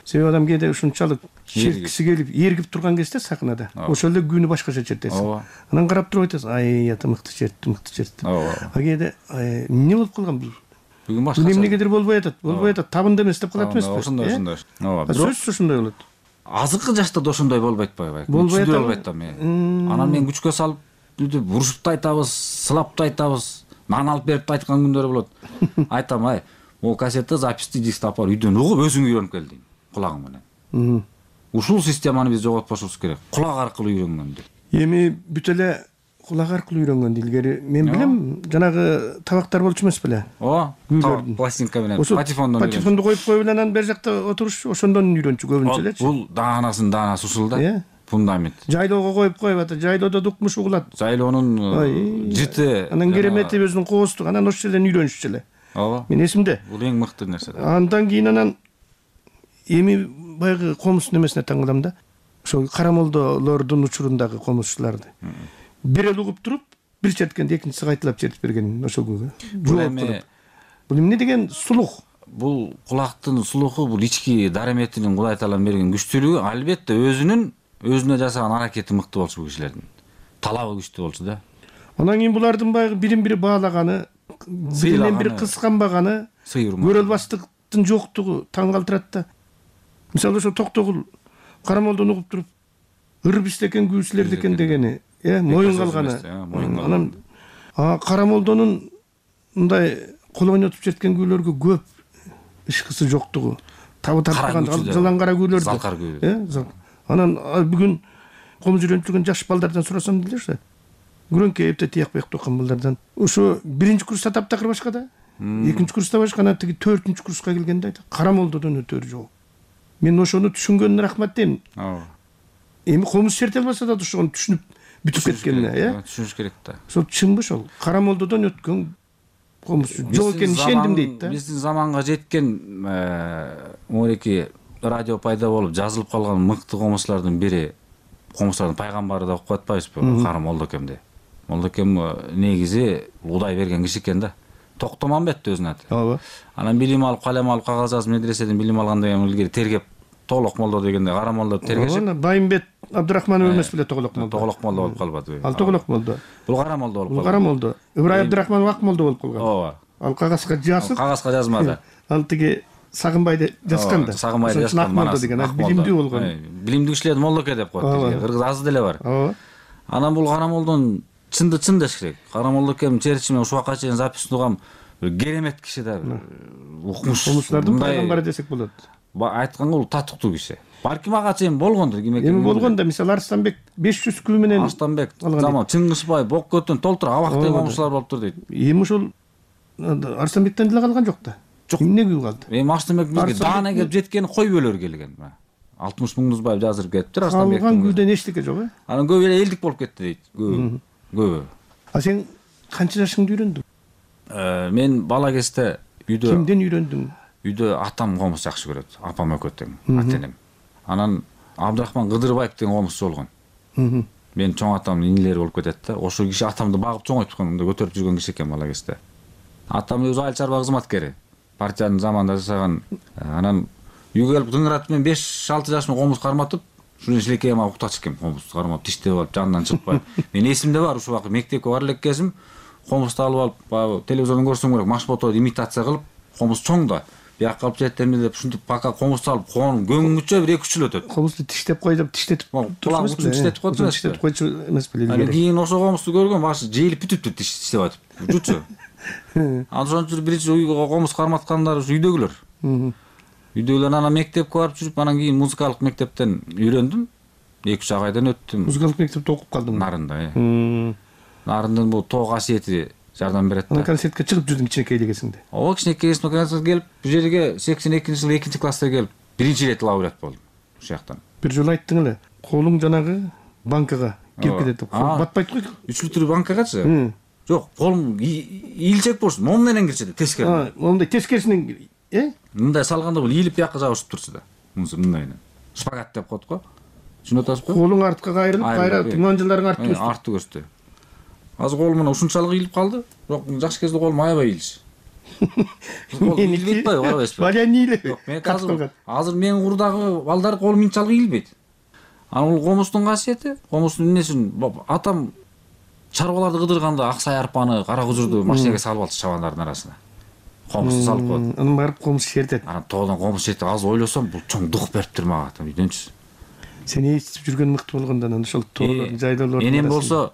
Себеби адам кээде ушунчалык чиркиси келип, эргип турган кезде сахнада, ошол эле күнү башкача чертесиң. Анан карап туруп айтасың, ай, ата мыкты чертти, мыкты чертти. А кээде эмне болуп калган бул? Бүгүн башка. Эмнегедир болбой атат, болбой атат, табында эмес деп калат эмеспи? Ошондой, ошондой. Ооба. Сөзсүз ошондой болот. Азыркы жашта да ошондой болбойт атпайбы? Болбойт атпайбы? Анан мен күчкө салып, урушуп да айтабыз, сылап да айтабыз, нан алып берип да айткан күндөр болот. Айтам, ай, могу кассетти, записти, дискти алып барып үйдөн угуп өзүң үйрөнүп кел дейм, кулагың менен. Ушул системаны биз жоготпошубуз керек. Кулак аркылуу үйрөнгөндү. Эми бүт эле кулак аркылуу үйрөнгөндү. Илгери мен билем, жанагы табактар болчу эмес беле? Ооба, пластинка менен, патефондон. Патефонду коюп коюп эле анан бер жакта отурушчу, ошондон үйрөнчү көбүнчө элечи. Бул даанасынын даанасы ушул да. Фундамент. Жайлоого коюп коюп атат, жайлоодо дукмуш угулат. Жайлоонун жыты. Анан керемети өзүнүн коостугу, анан ошол жерден үйрөнүшчү эле. ооба мен эсимде бул эң мыкты нерсе. Андан кийин анан эми баягы комуз немесине таң калам да. Ошол карамолдолордун учурундагы комузчуларды бир эле угуп туруп бир черткенде экинчиси кайталап чертип берген ошол күнү. Бул эми бул эмне деген сулух? Бул кулактын сулуху, бул ички дареметинин Кудай Таалам берген күчтүүлүгү, албетте өзүнүн өзүнө жасаган аракети мыкты болчу бул кишилердин. Талабы күчтүү болчу да. Анан кийин булардын баягы бирин бири баалаганы, биринен бири кысканбаганы, көрө албаштыктын жоктугу таң калтырат да. Мисалы ошо Токтогул карамолдон угуп туруп ыр биштекен күүчүлөр экен дегени, э, моюн калганы. Анан карамолдонун мындай кол ойнотуп черткен күүлөргө көп ишкысы жоктугу, табы тартпаган жалаң кара күүлөрдү. Залкар күү. Э, анан бүгүн комуз үйрөнүп жүргөн жаш балдардан сурасам делеши. Күрөңкө эпте тияк бек токкан балдардан. Ошо биринчи курста таптакыр башка да. Экинчи курста башка, анан тиги төртүнчү курска келгенде айтат, карамолдодон өтөр жок. Мен ошону түшүнгөнүнө рахмат дейм. Ооба. Эми комуз черте албаса да ошону түшүнүп бүтүп кеткенине, э? Түшүнүш керек да. Ошол чынбы ошол? Карамолдодон өткөн комуз жок экенин ишендим дейт да. Биздин заманга жеткен мореки радио пайда болуп жазылып калган мыкты комузчулардын бири, комузчулардын пайгамбары деп коюп атпайбызбы? Кара Молдокем. Молдокем негизи Кудай берген киши экен да. Токтомамбет өзүнүн аты. Ооба. Анан билим алып, калем алып, кагаз жазып, медреседен билим алгандан кийин илгери тергеп, Тоголок молдо дегенде Кара молдо тергешип. Байымбет Абдырахманов эмес беле Тоголок молдо. Тоголок молдо болуп калбады. Ал Тоголок молдо. Бул Кара молдо болуп калган. Бул Кара молдо. Ибрайым Абдырахманов Ак молдо болуп калган. Ооба. Ал кагазга жазып. Кагазга жазмады. Ал тиги Сагынбайды жазган да. Сагынбайды жазган молдо деген, билимдүү болгон. Билимдүү кишилерди молдоке деп коет. Кыргыз аз деле бар. Ооба. Анан бул Кара молдон чынды чын деш керек. Кара молдокем чертишимен ушуга чейин запись тугам керемет киши да. Укмуш. Комузчулардын пайгамбары десек болот. Айтканга бул татыктуу киши. Балким ага чейин болгондур, ким экени. Эми болгон да, мисалы Арстанбек беш жүз күү менен. Арстанбек, заман Чыңгызбай, Боккөтөн толтура абактагы комузчулар болуптур дейт. Эми ошол Арстанбектен деле калган жок да. Жок. Эмне күү калды? Эми Арстанбек бизге даана келип жеткени кой бөлөр келген. алтымыш Муңдузбаев жаздырып кетиптир Арстанбек. Калган күүдөн эчтеке жок, э? Анан көп эле элдик болуп кетти дейт. Көп. Көп. А сен канча жашыңда үйрөндүң? Мен бала кезде үйдө Кимден үйрөндүң? Үйдө атам комуз жакшы көрөт, апам экөө тең, ата-энем. Анан Абдрахман Кыдырбаев деген комузчу болгон. Мен чоң атамдын инилери болуп кетет да. Ошол киши атамды багып чоңойтупкан, мындай көтөрүп жүргөн киши экен бала кезде. Атам өзү айыл чарба кызматкери. Партиянын заманында жасаган. Анан үйгө келип дыңыратып мен беш алты жашымда комуз карматып, шуну шилекей ама уктатчу экен, комуз кармап тиштеп алып жанынан чыкпай. Мен эсимде бар, ушул убакыт мектепке бар элек кезим комузду алып алып, телевизордон көрсөм керек, Машбото имитация кылып, комуз чоң да. Бияк калып жетемби деп ушинтип пока комузду алып, конун көңүңүчө бир эки үч жыл өтөт. Комузду тиштеп кой деп тиштетип кулак учун тиштетип коет эмес. Тиштетип койчу эмес беле. Анан кийин ошо комузду көргөм, башы жыйылып бүтүптү тиштеп атып. Жутчу. Анан ошончо биринчи үйгө комуз карматкандар ушу үйдөгүлөр. Үйдөгүлөр анан мектепке барып жүрүп, анан кийин музыкалык мектептен үйрөндүм. эки үч айдан өттүм. Музыкалык мектепте окуп калдым. Нарында, э. Нарындын бул тоо касиети жардам берет да. Анан концертке чыгып жүрдүң кичинекейлигесиңде. Ооба, кичинекейсинде концертке келип, бул жерге сексен экинчи жылы экинчи класста келип, биринчи ирет лауреат болдум ушул жактан. Бир жолу айттың эле, колуң жанагы банкага кирип кетет деп. Батпайт го. үч литр банкагачы? Жок, колум ийилчек болчу, мом менен кирчү, тескери. Момундай тескерисинен, э? Мындай салганда бул ийилип бияка жабышып турчу да. Мындай. Шпагат деп коет го. Түшүнүп атасызбы? Колуң артка кайрылып, кайра тыңанжыларың артты өстү. Артты көрсөтү. Азыр колум мына ушунчалык ийилип калды. Бирок жаш кезде колум аябай ийилчү. Кол ийилбейт го, карабайсызбы? Балян ийилет. Жок, мен азыр азыр менин курдагы балдар колум мынчалык ийилбейт. Анан бул комуздун касиети, комуздун эмнесин атам чарбаларды кыдырганда аксай арпаны, кара кужурду машинеге салып алчу чабандардын арасына. Комузду салып коет. Анан барып комуз чертет. Анан тоодон комуз чертет. Азыр ойлосом, бул чоң дух бериптир мага атам үйдөнчү. Сен естип жүргөн мыкты болгондон анан ошол тоолордун жайлоолордун. Энем болсо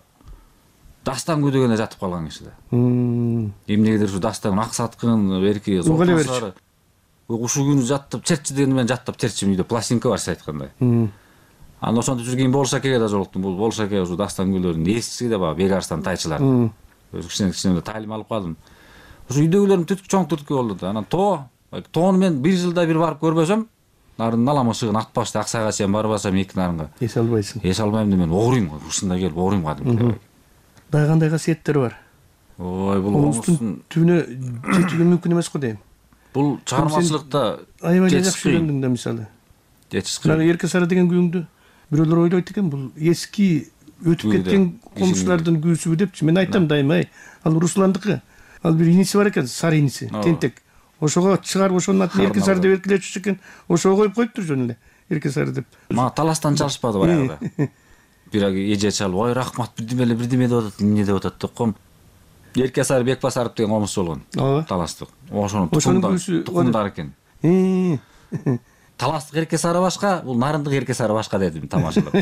дастан күдөгөндө жатып калган киши да. Эмнегедир ушу дастан аксаткын, берки зоосары. Ушул күнү жаттап чертчи дегенде мен жаттап чертчим, үйдө пластинка бар, сиз айткандай. Анан ошентип жүргөн Болшакеге да жолуктум. Бул Болшаке ушу дастан күлөрүнүн эскиси да бар, Бегарстан тайчылар. Өз кичине-кичине таалим алып калдым. Ушу үйдөгүлөрүм түткү чоң түрткү болду да. Анан тоо, тоону мен бир жылда бир барып көрбөсөм, нарын наламышыгын атпашты аксайга чейин барбасам эки нарынга. Эс албайсың. Эс албайм да мен огурuyм, ушундай келип огурuyм кадимки. Дагы кандай касиеттер бар? ой бул комустун түбүнө жетүүгө мүмкүн эмес го дейм. Бул чыгармачылыкта аябай жакшы үйрөндүң да мисалы. Жетишкан. Эрке сары деген күйүңдү бирөөлөр ойлойт экен, бул эски өтүп кеткен комушулардын күүсүбү депчи. Мен айтам дайыма, ал Русландыкы. Ал бир иниси бар экен, сары иниси, тентек. Ошого чыгарып ошонун атын Эрке сары деп эркелетчү экен. Ошого коюп коюптур жөн эле. Эрке сары деп. Мага таластан чалышпады баягыда. Бирок эже чалып, ой рахмат бирдеме эле бирдеме деп атат, эмне деп атат деп ком. Эрке сары Бекбасаров деген комуз болгон. Таластык. Ошонун тукумдары экен. Таластык Эрке сары башка, бул Нарындык Эрке сары башка дедим тамашалап.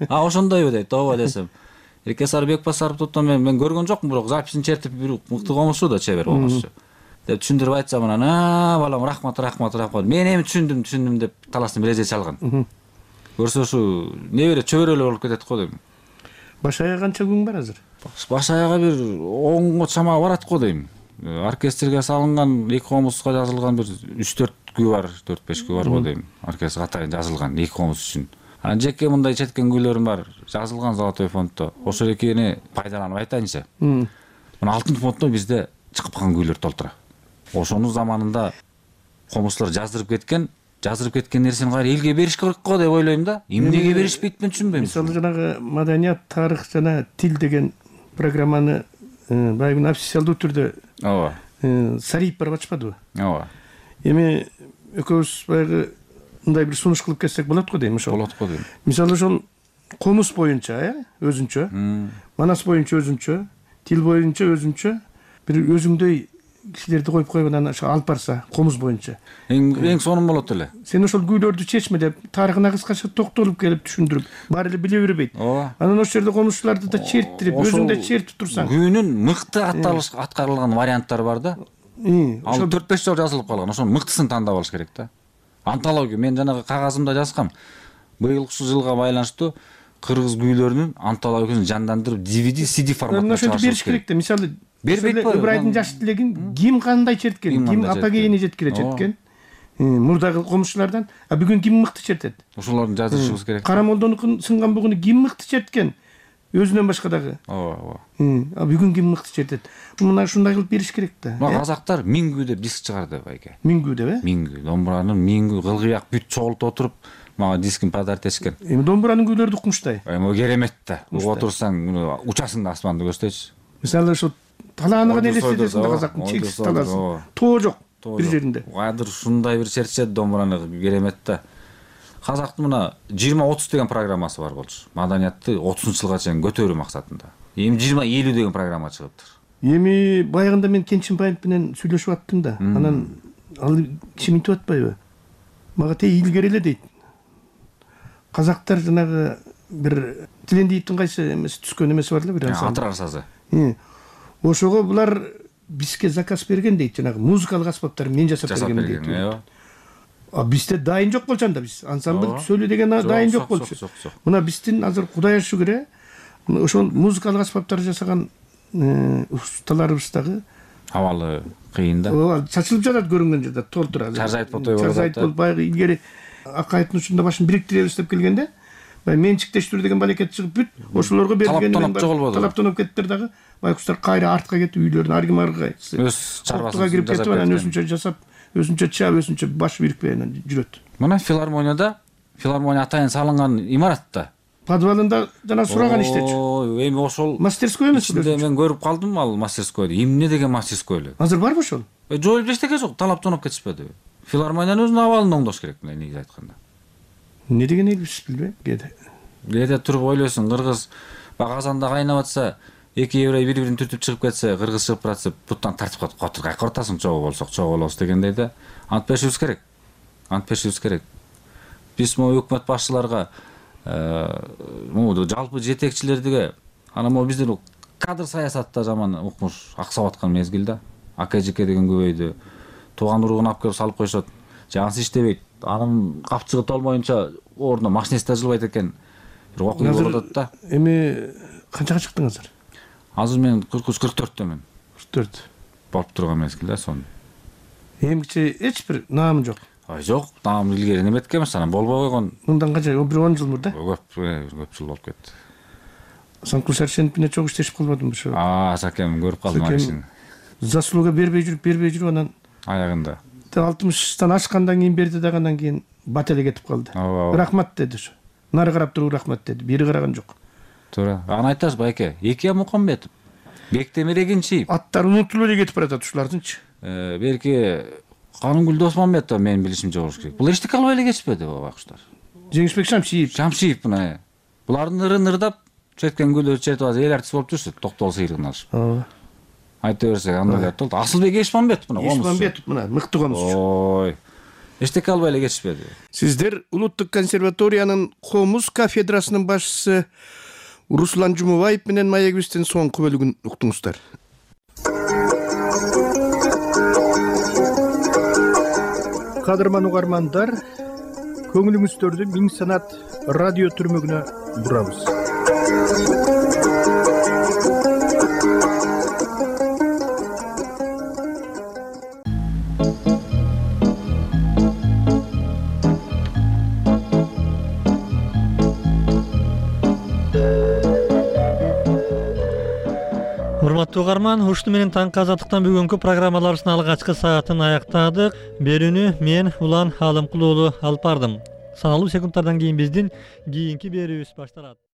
А ошондойбу дейт, ооба десем. Эрке сары Бекбасаров туттан мен мен көргөн жокмун, бирок записин чертип бир мыкты комузчу да, чебер комузчу. Деп түшүндүрүп айтсам анан, а балам рахмат, рахмат, рахмат. Мен эми түшүндүм, түшүндүм деп таластын бир эже чалган. Көрсө ушу небере чөбөрөлөр болуп кетет го дейм. Баш аяга канча күн бар азыр? Баш аяга бир онго чамаа барат го дейм. Оркестрге салынган эки комузга жазылган бир үч төрт күй бар, төрт беш күй бар го дейм. Оркестр катайын жазылган эки комуз үчүн. Анан жеке мындай четкен күйлөрүм бар, жазылган Золотой фонддо. Ошол экени пайдаланып айтайынчы. Мына Алтын фонддо бизде чыгып калган күйлөр толтура. Ошонун заманында комузчулар жаздырып кеткен, жаздырып кеткен нерсени кайра элге бериш керек го деп ойлойм да. Эмнеге беришпейт мен түшүнбөйм. Мисалы жанагы маданият, тарых жана тил деген программаны баягы официалдуу түрдө ооба Сариев барып ачпадыбы? Ооба. Эми экөөбүз баягы мындай бир сунуш кылып кетсек болот го дейм ошол. Болот го дейм. Мисалы ошол комуз боюнча, э, өзүнчө, манас боюнча өзүнчө, тил боюнча өзүнчө бир өзүңдөй кишилерди коюп коюп анан ошо алып барса, комуз боюнча. Эң эң сонун болот эле. Сен ошол күйлөрдү чечме деп, тарыхына кыскача токтолуп келип түшүндүрүп, баары эле биле бербейт. Анан ошол жерде комузчуларды да черттирип, өзүң да чертип турсаң. Күнүн мыкты аткарылган варианттары бар да. Ал төрт беш жол жазылып калган. Ошонун мыктысын тандап алыш керек да. Антология, мен жанагы кагазымда жазгам. Быйылкы жылга байланыштуу кыргыз күйлөрүнүн антологиясын жандандырып ди ви ди, си ди форматында чыгарыш бериш керек да. Мисалы бербейт го. Ыбырайдын жаш тилегин ким кандай черткен, ким апогейине жеткире четкен. Мурдагы комушчулардан, а бүгүн ким мыкты чертет? Ошолорду жазышыбыз керек. Карамолдонукун сынган бугуну ким мыкты черткен? Өзүнөн башка дагы. Ооба, ооба. А бүгүн ким мыкты чертет? Мына ушундай кылып бериш керек да. Мына казактар миңгүү деп диск чыгарды байке. Миңгүү деп, э? Миңгүү, домбуранын миңгүү кылгыяк бүт чогулуп отуруп, мага дискин подарок этишкен. Эми домбуранын күйлөрү укмуштай. Эми керемет да. Отурсаң, учасың да асманды көздөйчү. Мисалы ошо талааныгын элестетесиң да казактын чексиз талаасы. Тоо жок бир жеринде. Кадыр ушундай бир чертчет домбураны керемет да. Казактын мына жыйырма отуз деген программасы бар болчу. Маданиятты отузунчу жылга чейин көтөрүү максатында. Эми жыйырма элүү деген программа чыгыптыр. Эми баягында мен Кенчинбаев менен сүйлөшүп аттым да. Анан ал киши мынтип атпайбы? Мага тей илгери эле дейт. Казактар жанагы бир Тилендиевдин кайсы эмеси түскөн эмеси бар эле бир ансамбль. Атырар сазы. Ошого булар бизге заказ берген дейт, жанагы музыкалык аспаптар мен жасап берген дейт. А бизде дайын жок болчу анда, биз ансамбль сөйлө деген дайын жок болчу. Мына биздин азыр Кудайга шүгүр, ошол музыкалык аспаптар жасаган усталарыбыз дагы абалы кыйын да. Ооба, чачылып жатат көрүнгөн жерде, толтура. Чаржайт ботой болот. Чаржайт болуп баягы илгери Акайдын учунда башын бириктиребиз деп келгенде, баягы менчиктештирүү деген балекет чыгып бүт, ошолорго берилген талаптанып кеттер дагы. Байкуштар кайра артка кетип үйлөрүнө аргы маргы өз чарбасын кирип кетип анан өзүнчө жасап, өзүнчө чаап, өзүнчө баш бирикпей анан жүрөт. Мына филармонияда, филармония атайын салынган имаратта. Подвалында жана сураган иштечү. Эми ошол мастерской эмес эле. Мен көрүп калдым ал мастерскойду. Эмне деген мастерской эле? Азыр барбы ошол? Жоюлуп эчтеке жок, талаптанып кетишпеди. Филармониянын өзүнүн абалын оңдош керек, негизи айтканда. Эмне деген элбиз билбейм. Кээде. Кээде туруп ойлойсуң, кыргыз Казанда кайнап атса, эки еврей бири-бирин түртүп чыгып кетсе, кыргыз чыгып баратса, буттан тартып коет. Котур кайка ортасың, чогуу болсок, чогуу болобуз дегендей да. Антпешибиз керек. Антпешибиз керек. Биз могу өкмөт башчыларга, могу жалпы жетекчилерге, анан могу биздин кадр саясатта жаман укмуш аксап аткан мезгил да. Ака-жеке деген көбөйдү. Тууган уругун алып келип салып коюшат. Жансы иштебейт. Анын капчыгы толмоюнча ордуна машинист да жылбайт экен. Бир окуя болуп атат да. Эми канчага чыктың азыр? Азыр мен кырк үч кырк төрттөмүн. кырк төрт. Болуп турган мезгилде сон. Эмгиче эч бир наам жок. Ай жок, наам илгери неметке эмес, анан болбой койгон. Мындан канча бир он жыл мурда? Көп, көп жыл болуп кетти. Санкул Сарсенов менен чогуу иштешип калбадым ошо. А, Сакем көрүп калдым акишин. Заслуга бербей жүрүп, бербей жүрүп анан аягында алтымыштан ашкандан кийин берди дагы, андан кийин бат эле кетип калды. Рахмат деди ошо. Нары карап туруп рахмат деди. Бери караган жок. Туура. Аны айтасыз байке. Эки Мукамбетов, Бектемир Эгинчиев. Аттары унутулуп эле кетип баратат ушулардынчы. Э, Берки Канынгүл Досмамбетов менин билишимче болуш керек. Булар эчтеке албай эле кетишпеди байкуштар. Жеңишбек Шамшиев. Шамшиев мына. Булардын ырын ырдап, четкен гүлдөрдү чертип алып эл артист болуп жүрсү, токтол сыйрыгын алышып. Ооба. Айта берсек андай болду. Асылбек Эшмамбетов мына комуз. Эшмамбетов мына мыкты комузчу. Ой. Эчтеке албай эле кетишпеди. Сиздер Улуттук консерваториянын комуз кафедрасынын башчысы Руслан Жумабаев менен маегибиздин соңку бөлүгүн уктуңуздар. Кадырман угармандар, көңүлүңүздөрдү Миң Санат радио түрмөгүнө бурабыз. Урматтуу угарман, ушуну менен таңкы азаттыктан бүгүнкү программаларыбыздын алгачкы саатын аяктадык. Берүүнү мен Улан Алымкул уулу алып бардым. Саналуу секундтардан кийин биздин кийинки берүүбүз башталат.